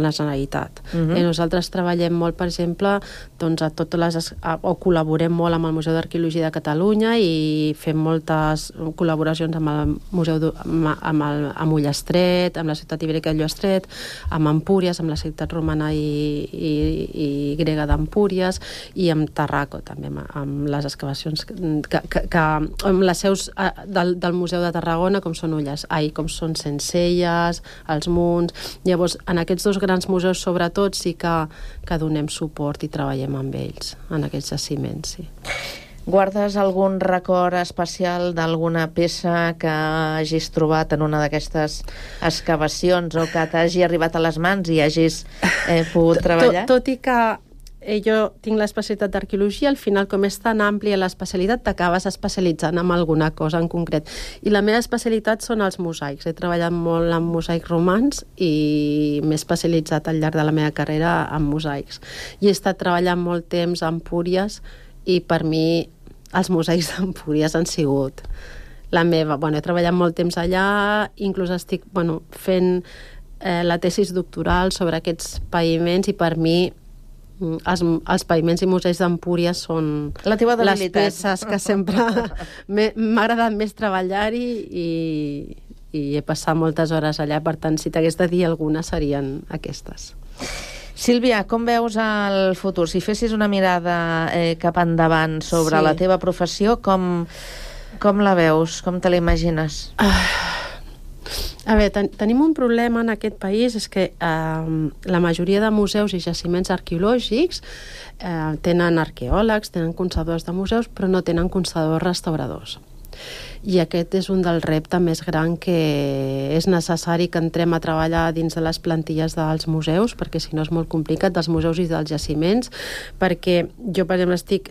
la Generalitat. Nosaltres treballem molt, per exemple, o col·laborem molt amb el Museu d'Arqueologia de Catalunya i fem moltes col·laboracions amb el Museu amb Ullastret, amb la ciutat ibèrica de Ullastret, amb Empúries, amb la ciutat romana i grega d'Empúries, i amb Tarraco també, amb les excavacions amb les seus del Museu de Tarragona, com són com són Sencelles, els Munts. Llavors, en aquests dos grans museus, sobretot, sí que donem suport i treballem amb ells, en aquests jaciments, sí. Guardes algun record especial d'alguna peça que hagis trobat en una d'aquestes excavacions o que t'hagi arribat a les mans i hagis pogut treballar? Tot i que jo tinc l'especialitat d'arqueologia, al final, com és tan àmplia l'especialitat, t'acabes especialitzant en alguna cosa en concret. I la meva especialitat són els mosaics. He treballat molt amb mosaics romans i m'he especialitzat al llarg de la meva carrera en mosaics. I he estat treballant molt temps a Empúries i per mi els mosaics d'Empúries han sigut la meva... He treballat molt temps allà, inclús estic fent la tesis doctoral sobre aquests paviments, i per mi els paviments i museus d'Empúries són les peces que sempre m'ha agradat més treballar-hi, i he passat moltes hores allà. Per tant, si t'hagués de dir alguna, serien aquestes. Sílvia, com veus el futur? Si fessis una mirada cap endavant sobre la teva professió, com la veus? Com te la imagines? A veure, tenim un problema en aquest país, és que la majoria de museus i jaciments arqueològics tenen arqueòlegs, tenen conservadors de museus, però no tenen conservadors restauradors. I aquest és un dels reptes més gran, que és necessari que entrem a treballar dins de les plantilles dels museus, perquè si no és molt complicat, dels museus i dels jaciments, perquè jo, per exemple, estic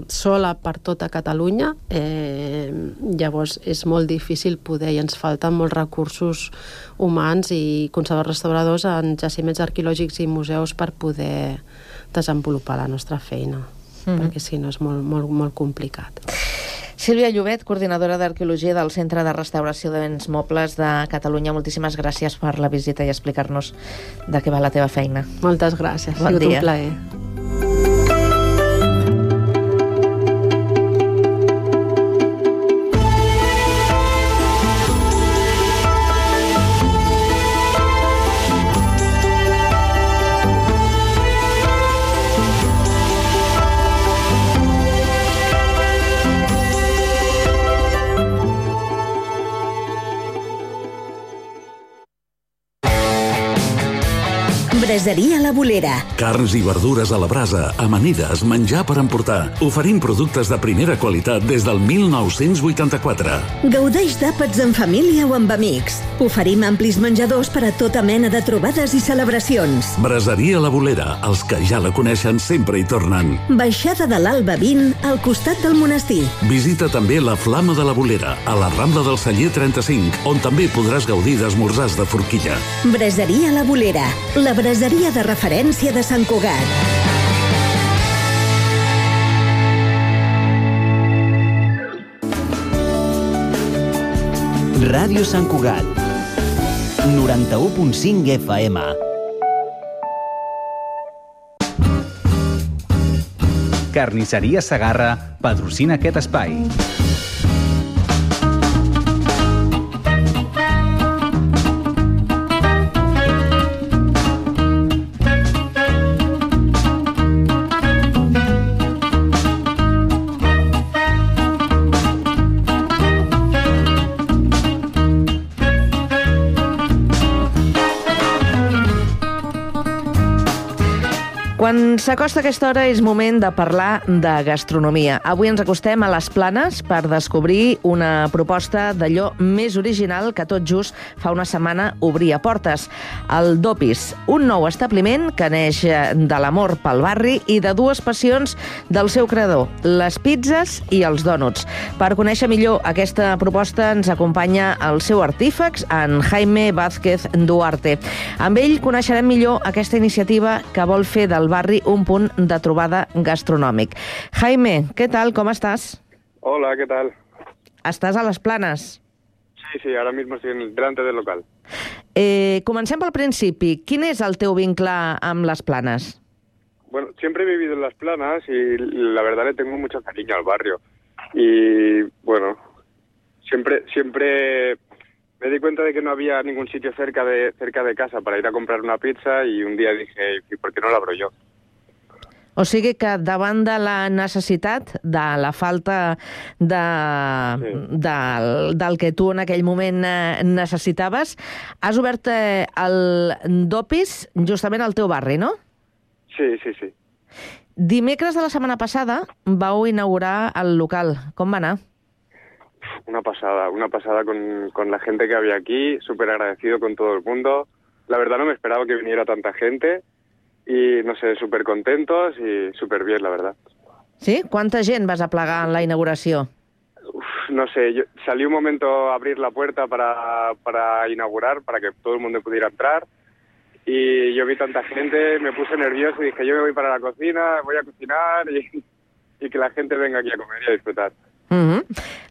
sola per tota Catalunya, llavors és molt difícil poder, i ens falten molts recursos humans i conservadors restauradors en jaciments arqueològics i museus per poder desenvolupar la nostra feina, perquè si no és molt, molt, molt complicat. Sílvia Llobet, coordinadora d'Arqueologia del Centre de Restauració de Béns Mobles de Catalunya, moltíssimes gràcies per la visita i explicar-nos de què va la teva feina. Moltes gràcies, ha sigut un plaer. Braseria La Bolera. Carns i verdures a la brasa, amanides, menjar per emportar. Oferim productes de primera qualitat des del 1984. Gaudeix d'àpats en família o amb amics. Oferim amplis menjadors per a tota mena de trobades i celebracions. Braseria La Bolera, els que ja la coneixen sempre hi tornen. Baixada de l'Alba 20, al costat del monestir. Visita també la Flama de la Bolera, a la Rambla del Celler 35, on també podràs gaudir d'esmorzars de forquilla. Braseria La Bolera, la braseria de referència de Sant Cugat. Ràdio Sant Cugat, 91.5 FM. Carnisseria Segarra patrocina aquest espai. Quan s'acosta aquesta hora és moment de parlar de gastronomia. Avui ens acostem a les Planes per descobrir una proposta d'allò més original que tot just fa una setmana obria portes. El Dopis, un nou establiment que neix de l'amor pel barri i de dues passions del seu creador, les pizzas i els dònuts. Per conèixer millor aquesta proposta ens acompanya el seu artífex, en Jaime Vázquez Duarte. Amb ell coneixerem millor aquesta iniciativa que vol fer del barri un punt de trobada gastronòmic. Jaime, què tal? Com estàs? Hola, ¿qué tal? Estàs a les Planes? Sí, ahora mismo estoy delante del local. Comencem pel principi. Quin és el teu vincle amb les Planes? Bueno, siempre he vivido en Las Planas y la verdad le tengo mucho cariño al barrio. Y bueno, siempre me di cuenta de que no había ningún sitio cerca de casa para ir a comprar una pizza y un día dije, ¿y por qué no la abro yo? O sigui que davant de la necessitat, de la falta del que tu en aquell moment necessitaves, has obert el Dopis justament al teu barri, no? Sí. Dimecres de la setmana passada vau inaugurar el local. Com va anar? Una pasada con la gente que había aquí, súper agradecido con todo el mundo. La verdad no me esperaba que viniera tanta gente y, no sé, súper contentos y súper bien, la verdad. Sí? Quanta gent vas aplegar en la inauguració? No sé, salí un momento a abrir la puerta para inaugurar, para que todo el mundo pudiera entrar, y yo vi tanta gente, me puse nervioso y dije, yo me voy para la cocina, voy a cocinar y que la gente venga aquí a comer y a disfrutar.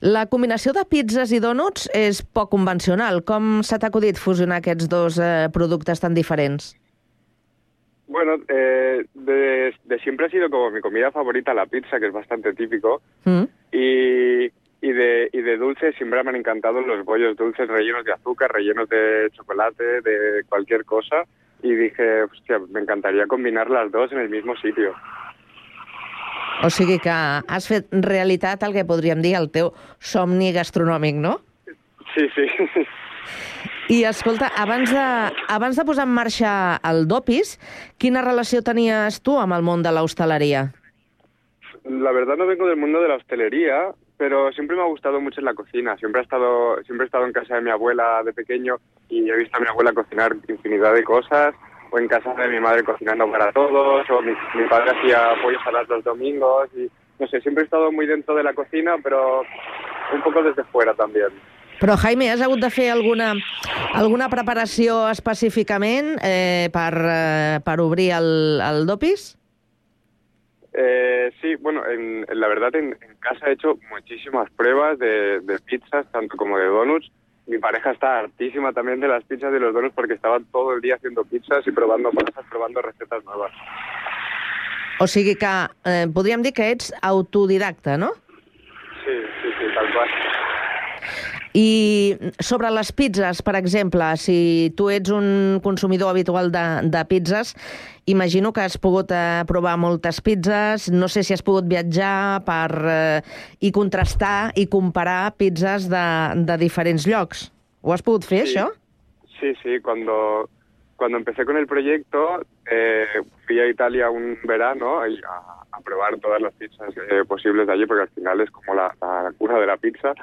La combinació de pizzas i dònuts és poc convencional. Com s'ha acudit fusionar aquests dos productes tan diferents? Bueno, de siempre ha sido como mi comida favorita la pizza, que es bastante típico, y de dulces siempre me han encantado los bollos dulces rellenos de azúcar, rellenos de chocolate, de cualquier cosa, y dije, hostia, me encantaría combinar las dos en el mismo sitio. O sigui que has fet realitat el que podríem dir el teu somni gastronòmic, no? Sí. I escolta, abans de posar en marxa el Dopis, quina relació tenies tu amb el món de l'hostaleria? La verdad no vengo del mundo de la hostelería, pero siempre me ha gustado mucho la cocina. Siempre he estado en casa de mi abuela de pequeño y he visto a mi abuela cocinar infinidad de cosas, o en casa de mi madre cocinando para todos, o mi padre hacía pollo saladas los domingos, y no sé, siempre he estado muy dentro de la cocina, pero un poco desde fuera también. Però, Jaime, has hagut de fer alguna preparació específicament per obrir el Dopis? Sí, bueno, la verdad en casa he hecho muchísimas pruebas de pizzas, tanto como de donuts. Mi pareja está hartísima también de las pizzas y de los donuts porque estaba todo el día haciendo pizzas y probando masas, probando recetas nuevas. O sigui que podríem dir que ets autodidacta, no? Sí, tal qual. I sobre les pizzas, per exemple, si tu ets un consumidor habitual de pizzas, imagino que has pogut provar moltes pizzas, no sé si has pogut viatjar i contrastar i comparar pizzas de diferents llocs. Ho has pogut fer, això? Sí, cuando cuando empecé con el proyecto, fui a Italia un verano a probar todas las pizzas posibles de allí, porque al final es como la cuna de la pizza.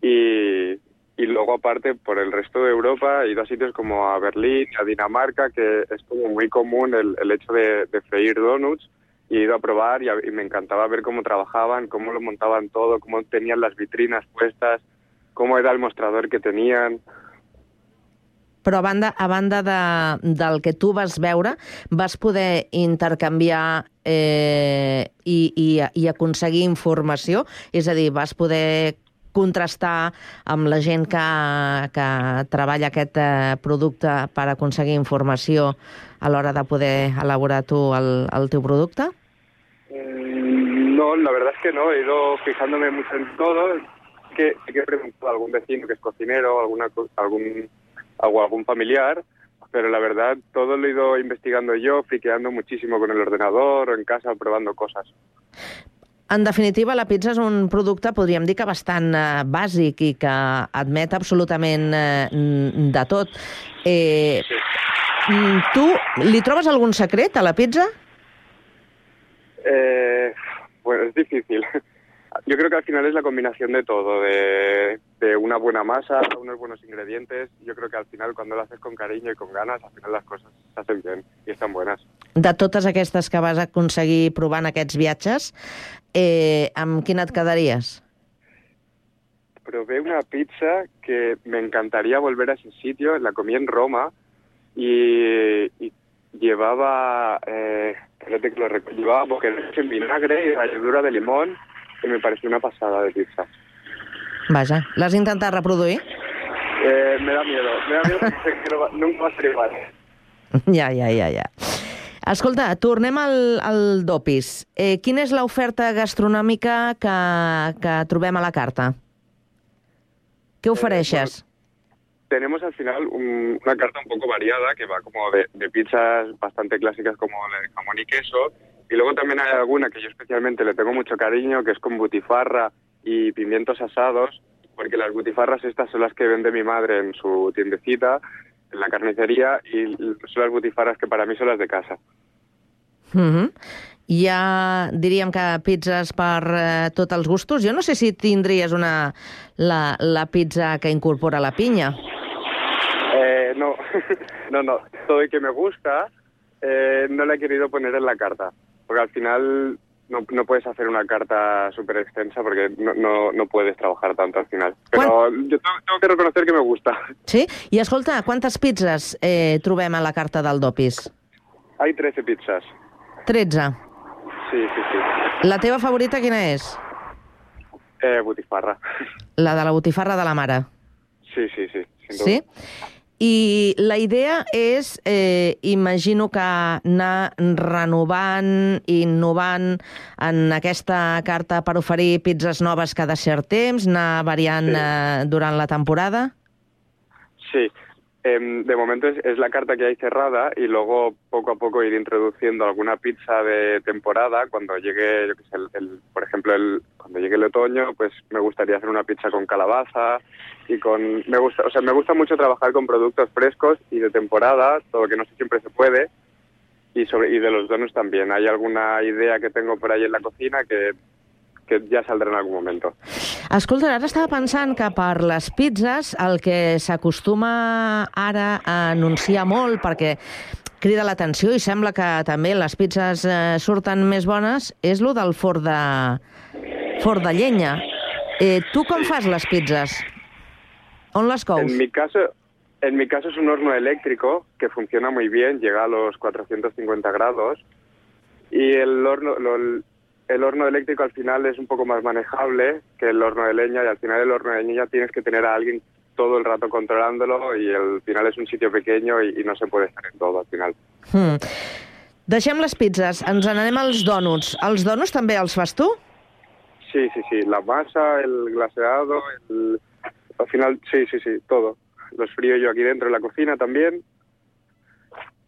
Y luego, aparte, por el resto de Europa, he ido a sitios como a Berlín, a Dinamarca, que es como muy común el hecho de freír donuts. Y he ido a probar y me encantaba ver cómo trabajaban, cómo lo montaban todo, cómo tenían las vitrinas puestas, cómo era el mostrador que tenían. Però a banda del que tu vas veure, vas poder intercanviar i aconseguir informació? És a dir, vas poder contrastar amb la gent que treballa aquest producte per aconseguir informació a l'hora de poder elaborar tu el teu producte? No, la verdad es que no. He ido fijándome mucho en todo. Sí que he preguntado a algún vecino que es cocinero, algún familiar, pero la verdad todo lo he ido investigando yo, friqueando muchísimo con el ordenador o en casa, probando cosas. En definitiva, la pizza és un producte, podríem dir que bastant bàsic i que admet absolutament de tot. Tu li trobes algun secret a la pizza? Bueno, es difícil. Yo creo que al final es la combinación de todo, de una buena masa, unos buenos ingredientes. Yo creo que al final, cuando lo haces con cariño y con ganas, al final las cosas se hacen bien y están buenas. De totes aquestes que vas aconseguir provant aquests viatges, amb quina et quedaries? Probé una pizza que me encantaría volver a ese sitio. La comí en Roma y llevaba, llevaba boquerones en vinagre y ralladura de limón. Que me pareció una pasada de pizza. Vaja, l'has intentat reproduir? Me da miedo porque sé que nunca va a ser igual. Ja. Escolta, tornem al Dopis. Quina és l'oferta gastronòmica que trobem a la carta? Què ofereixes? Tenemos al final una carta un poco variada que va como de pizzas bastante clásicas como la de jamón y queso. Y luego también hay alguna que yo especialmente le tengo mucho cariño, que es con butifarra y pimientos asados, porque las butifarras estas son las que vende mi madre en su tiendecita, en la carnicería, y son las butifarras que para mí son las de casa. Ja diríem que pizzas per tots els gustos. Jo no sé si tindries la pizza que incorpora la pinya. No. Todo el que me gusta no la he querido poner en la carta. Porque al final no puedes hacer una carta súper extensa porque no puedes trabajar tanto al final. Però yo tengo que reconocer que me gusta. Sí? I escolta, quantes pizzas trobem a la carta del Dopis? Hay 13 pizzas. 13? Sí. La teva favorita quina és? Butifarra. La de la botifarra de la mare? Sí, sin duda. Sí? I la idea és, imagino que anar renovant i innovant en aquesta carta per oferir pizzas noves cada cert temps, anar variant durant la temporada? Sí. De momento es la carta que hay cerrada y luego poco a poco ir introduciendo alguna pizza de temporada. Cuando llegue, yo qué sé, por ejemplo, cuando llegue el otoño, pues me gustaría hacer una pizza con calabaza y me gusta mucho trabajar con productos frescos y de temporada, todo que no siempre se puede, y de los donuts también. Hay alguna idea que tengo por ahí en la cocina que ja saldrà en algun moment. Escolta, ara estava pensant que per les pizzas el que s'acostuma ara a anunciar molt, perquè crida l'atenció i sembla que també les pizzas surten més bones, és lo del forn de llenya. Tu com fas les pizzas? On les cous? En mi caso es un horno eléctrico que funciona muy bien, llega a los 450 grados y el horno eléctrico al final es un poco más manejable que el horno de leña y al final el horno de leña tienes que tener a alguien todo el rato controlándolo y al final es un sitio pequeño y no se puede estar en todo al final. Deixem les pizzas, ens n'anem als donuts. Els donuts també els fas tu? Sí, la masa, el glaseado, al final sí, todo. Los frío yo aquí dentro en la cocina también.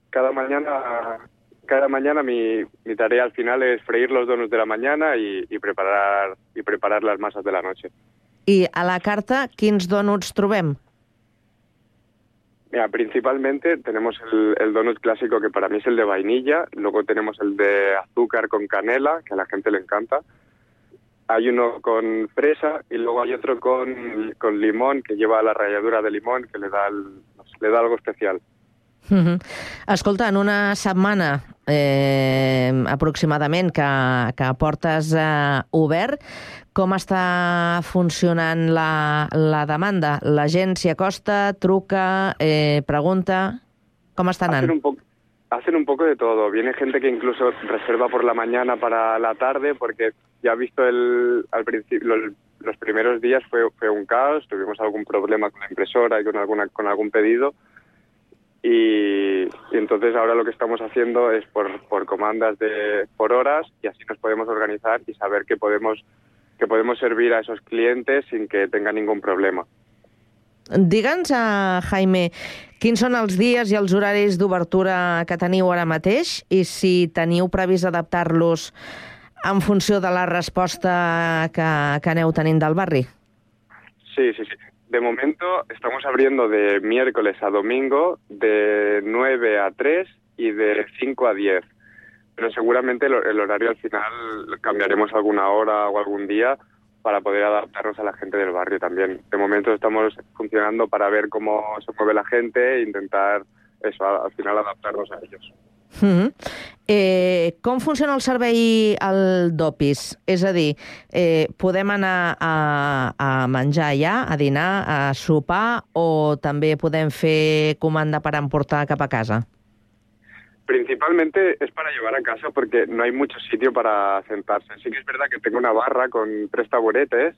Cada mañana mi tarea al final es freír los donuts de la mañana y preparar las masas de la noche. I a la carta quins donuts trobem? Mira, principalmente tenemos el donut clásico, que para mí es el de vainilla. Luego tenemos el de azúcar con canela, que a la gente le encanta. Hay uno con fresa y luego hay otro con limón, que lleva la ralladura de limón, que le da algo especial. Escolta, en una setmana aproximadament que portes obert, com està funcionant la demanda? La gent s'hi acosta, truca, pregunta? Com està anant? Hacen un poco de todo. Viene gente que incluso reserva por la mañana para la tarde, porque ya ha visto al principio, los primeros días fue un caos, tuvimos algún problema con la impresora y con algún pedido. Y entonces ahora lo que estamos haciendo es por comandas por horas, y así nos podemos organizar y saber que podemos servir a esos clientes sin que tengan ningún problema. Digue'ns, Jaime, quins són els dies i els horaris d'obertura que teniu ara mateix i si teniu previst adaptar-los en funció de la resposta que aneu tenint del barri. Sí. De momento estamos abriendo de miércoles a domingo de 9 a 3 y de 5 a 10. Pero seguramente el horario al final cambiaremos alguna hora o algún día para poder adaptarnos a la gente del barrio también. De momento estamos funcionando para ver cómo se mueve la gente e intentar eso, al final adaptarnos a ellos. Com funciona el servei al Dopis? És a dir, podem anar a menjar allà, a dinar, a sopar, o també podem fer comanda per emportar cap a casa? Principalmente es para llevar a casa porque no hay mucho sitio para sentarse. Sí que es verdad que tengo una barra con 3 taburetes,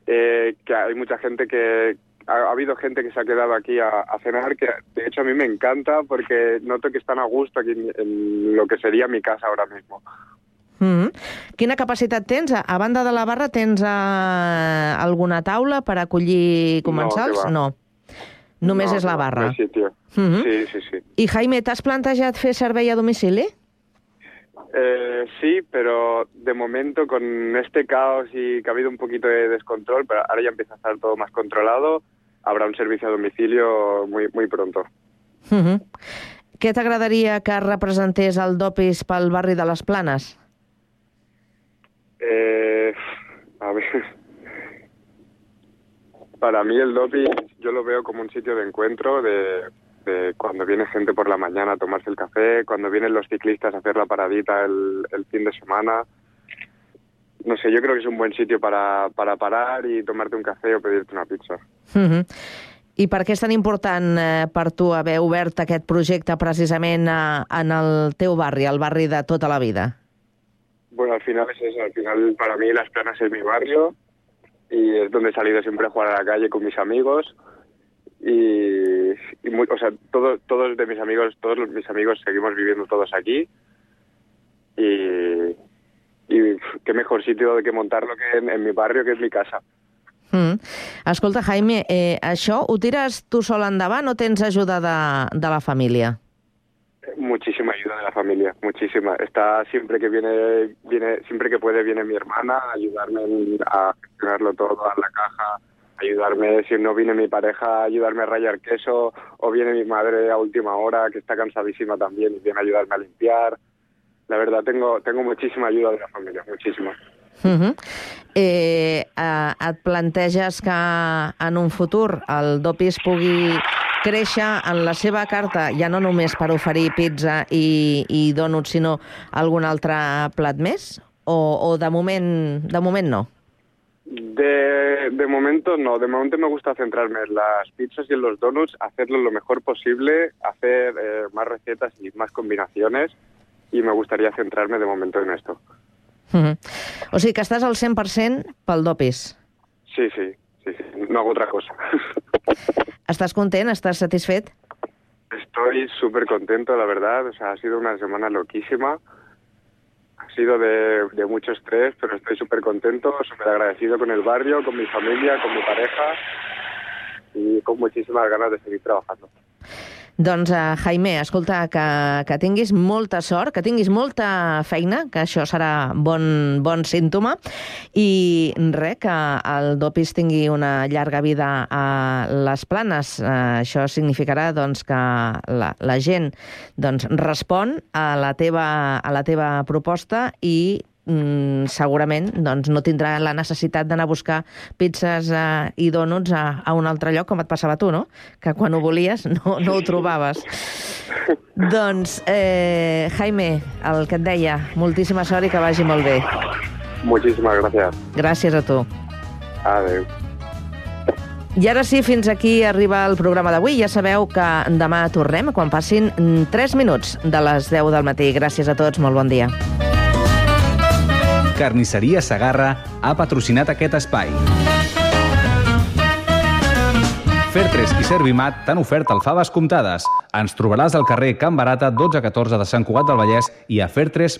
que hay mucha gente que... Ha habido gente que se ha quedado aquí a cenar, que de hecho a mí me encanta porque noto que están a gusto aquí en lo que sería mi casa ahora mismo. Quina capacitat tens? A banda de la barra tens alguna taula per acollir comensals? No. Només és la barra. No hay sitio. Sí. I Jaime, t'has plantejat fer servei a domicili? Sí, pero de momento con este caos y que ha habido un poquito de descontrol, pero ahora ya empieza a estar todo más controlado, habrá un servicio a domicilio muy pronto. Què t'agradaria que representés el Dopis pel barri de les Planes? A ver... Para mí el Dopis yo lo veo como un sitio de encuentro, de cuando viene gente por la mañana a tomarse el café, cuando vienen los ciclistas a hacer la paradita el fin de semana. No sé, yo creo que es un buen sitio para parar y tomarte un café o pedirte una pizza. I per què és tan important per tu haver obert aquest projecte precisament en el teu barri, el barri de tota la vida? Bueno, al final es eso. Al final para mí Las Planas es mi barrio y es donde he salido siempre a jugar a la calle con mis amigos. O sea, todos mis amigos seguimos viviendo todos aquí y qué mejor sitio de que montarlo que en mi barrio, que es mi casa. Escolta, Jaime, això ho tires tu sol endavant o tens ajuda de la família? Muchísima ayuda de la familia, muchísima. Está siempre que siempre que puede viene mi hermana a ayudarme a gestionarlo todo, a la caja, ayudarme, si no viene mi pareja, ayudarme a rallar queso, o viene mi madre a última hora, que está cansadísima también, y viene a ayudarme a limpiar. La verdad, tengo muchísima ayuda de la familia, muchísima. Et planteges que en un futur el Dopis pugui créixer en la seva carta, ja no només per oferir pizza i dònuts, sinó algun altre plat més? O de moment no? De momento no, de momento me gusta centrarme en las pizzas y en los donuts, hacerlo lo mejor posible, hacer más recetas y más combinaciones, y me gustaría centrarme de momento en esto. O sigui que estàs al 100% pel Dopis. Sí, no hago otra cosa. ¿Estás content? ¿Estás satisfet? Estoy súper contento, la verdad. O sea, ha sido una semana loquísima. Ha sido de mucho estrés, pero estoy súper contento, súper agradecido con el barrio, con mi familia, con mi pareja y con muchísimas ganas de seguir trabajando. Doncs, Jaime, escolta, que tinguis molta sort, que tinguis molta feina, que això serà bon símptoma, i res, que el Dopis tingui una llarga vida a les Planes. Això significarà doncs, que la gent respon a la teva proposta i segurament doncs, no tindrà la necessitat d'anar a buscar pizzas i dònuts a un altre lloc, com et passava a tu, no? Que quan ho volies no ho trobaves. Doncs, Jaime, el que et deia, moltíssima sort i que vagi molt bé. Muchísimas gracias. Gràcies a tu. Adéu. I ara sí, fins aquí arriba el programa d'avui. Ja sabeu que demà tornem quan passin 3 minuts de les 10 del matí. Gràcies a tots, molt bon dia. Carnisseria Segarra ha patrocinat aquest espai. Fer3 i Servimat t'han ofert alfaves comptades. Ens trobaràs al carrer Can Barata 1214 de Sant Cugat del Vallès i a fer3.es.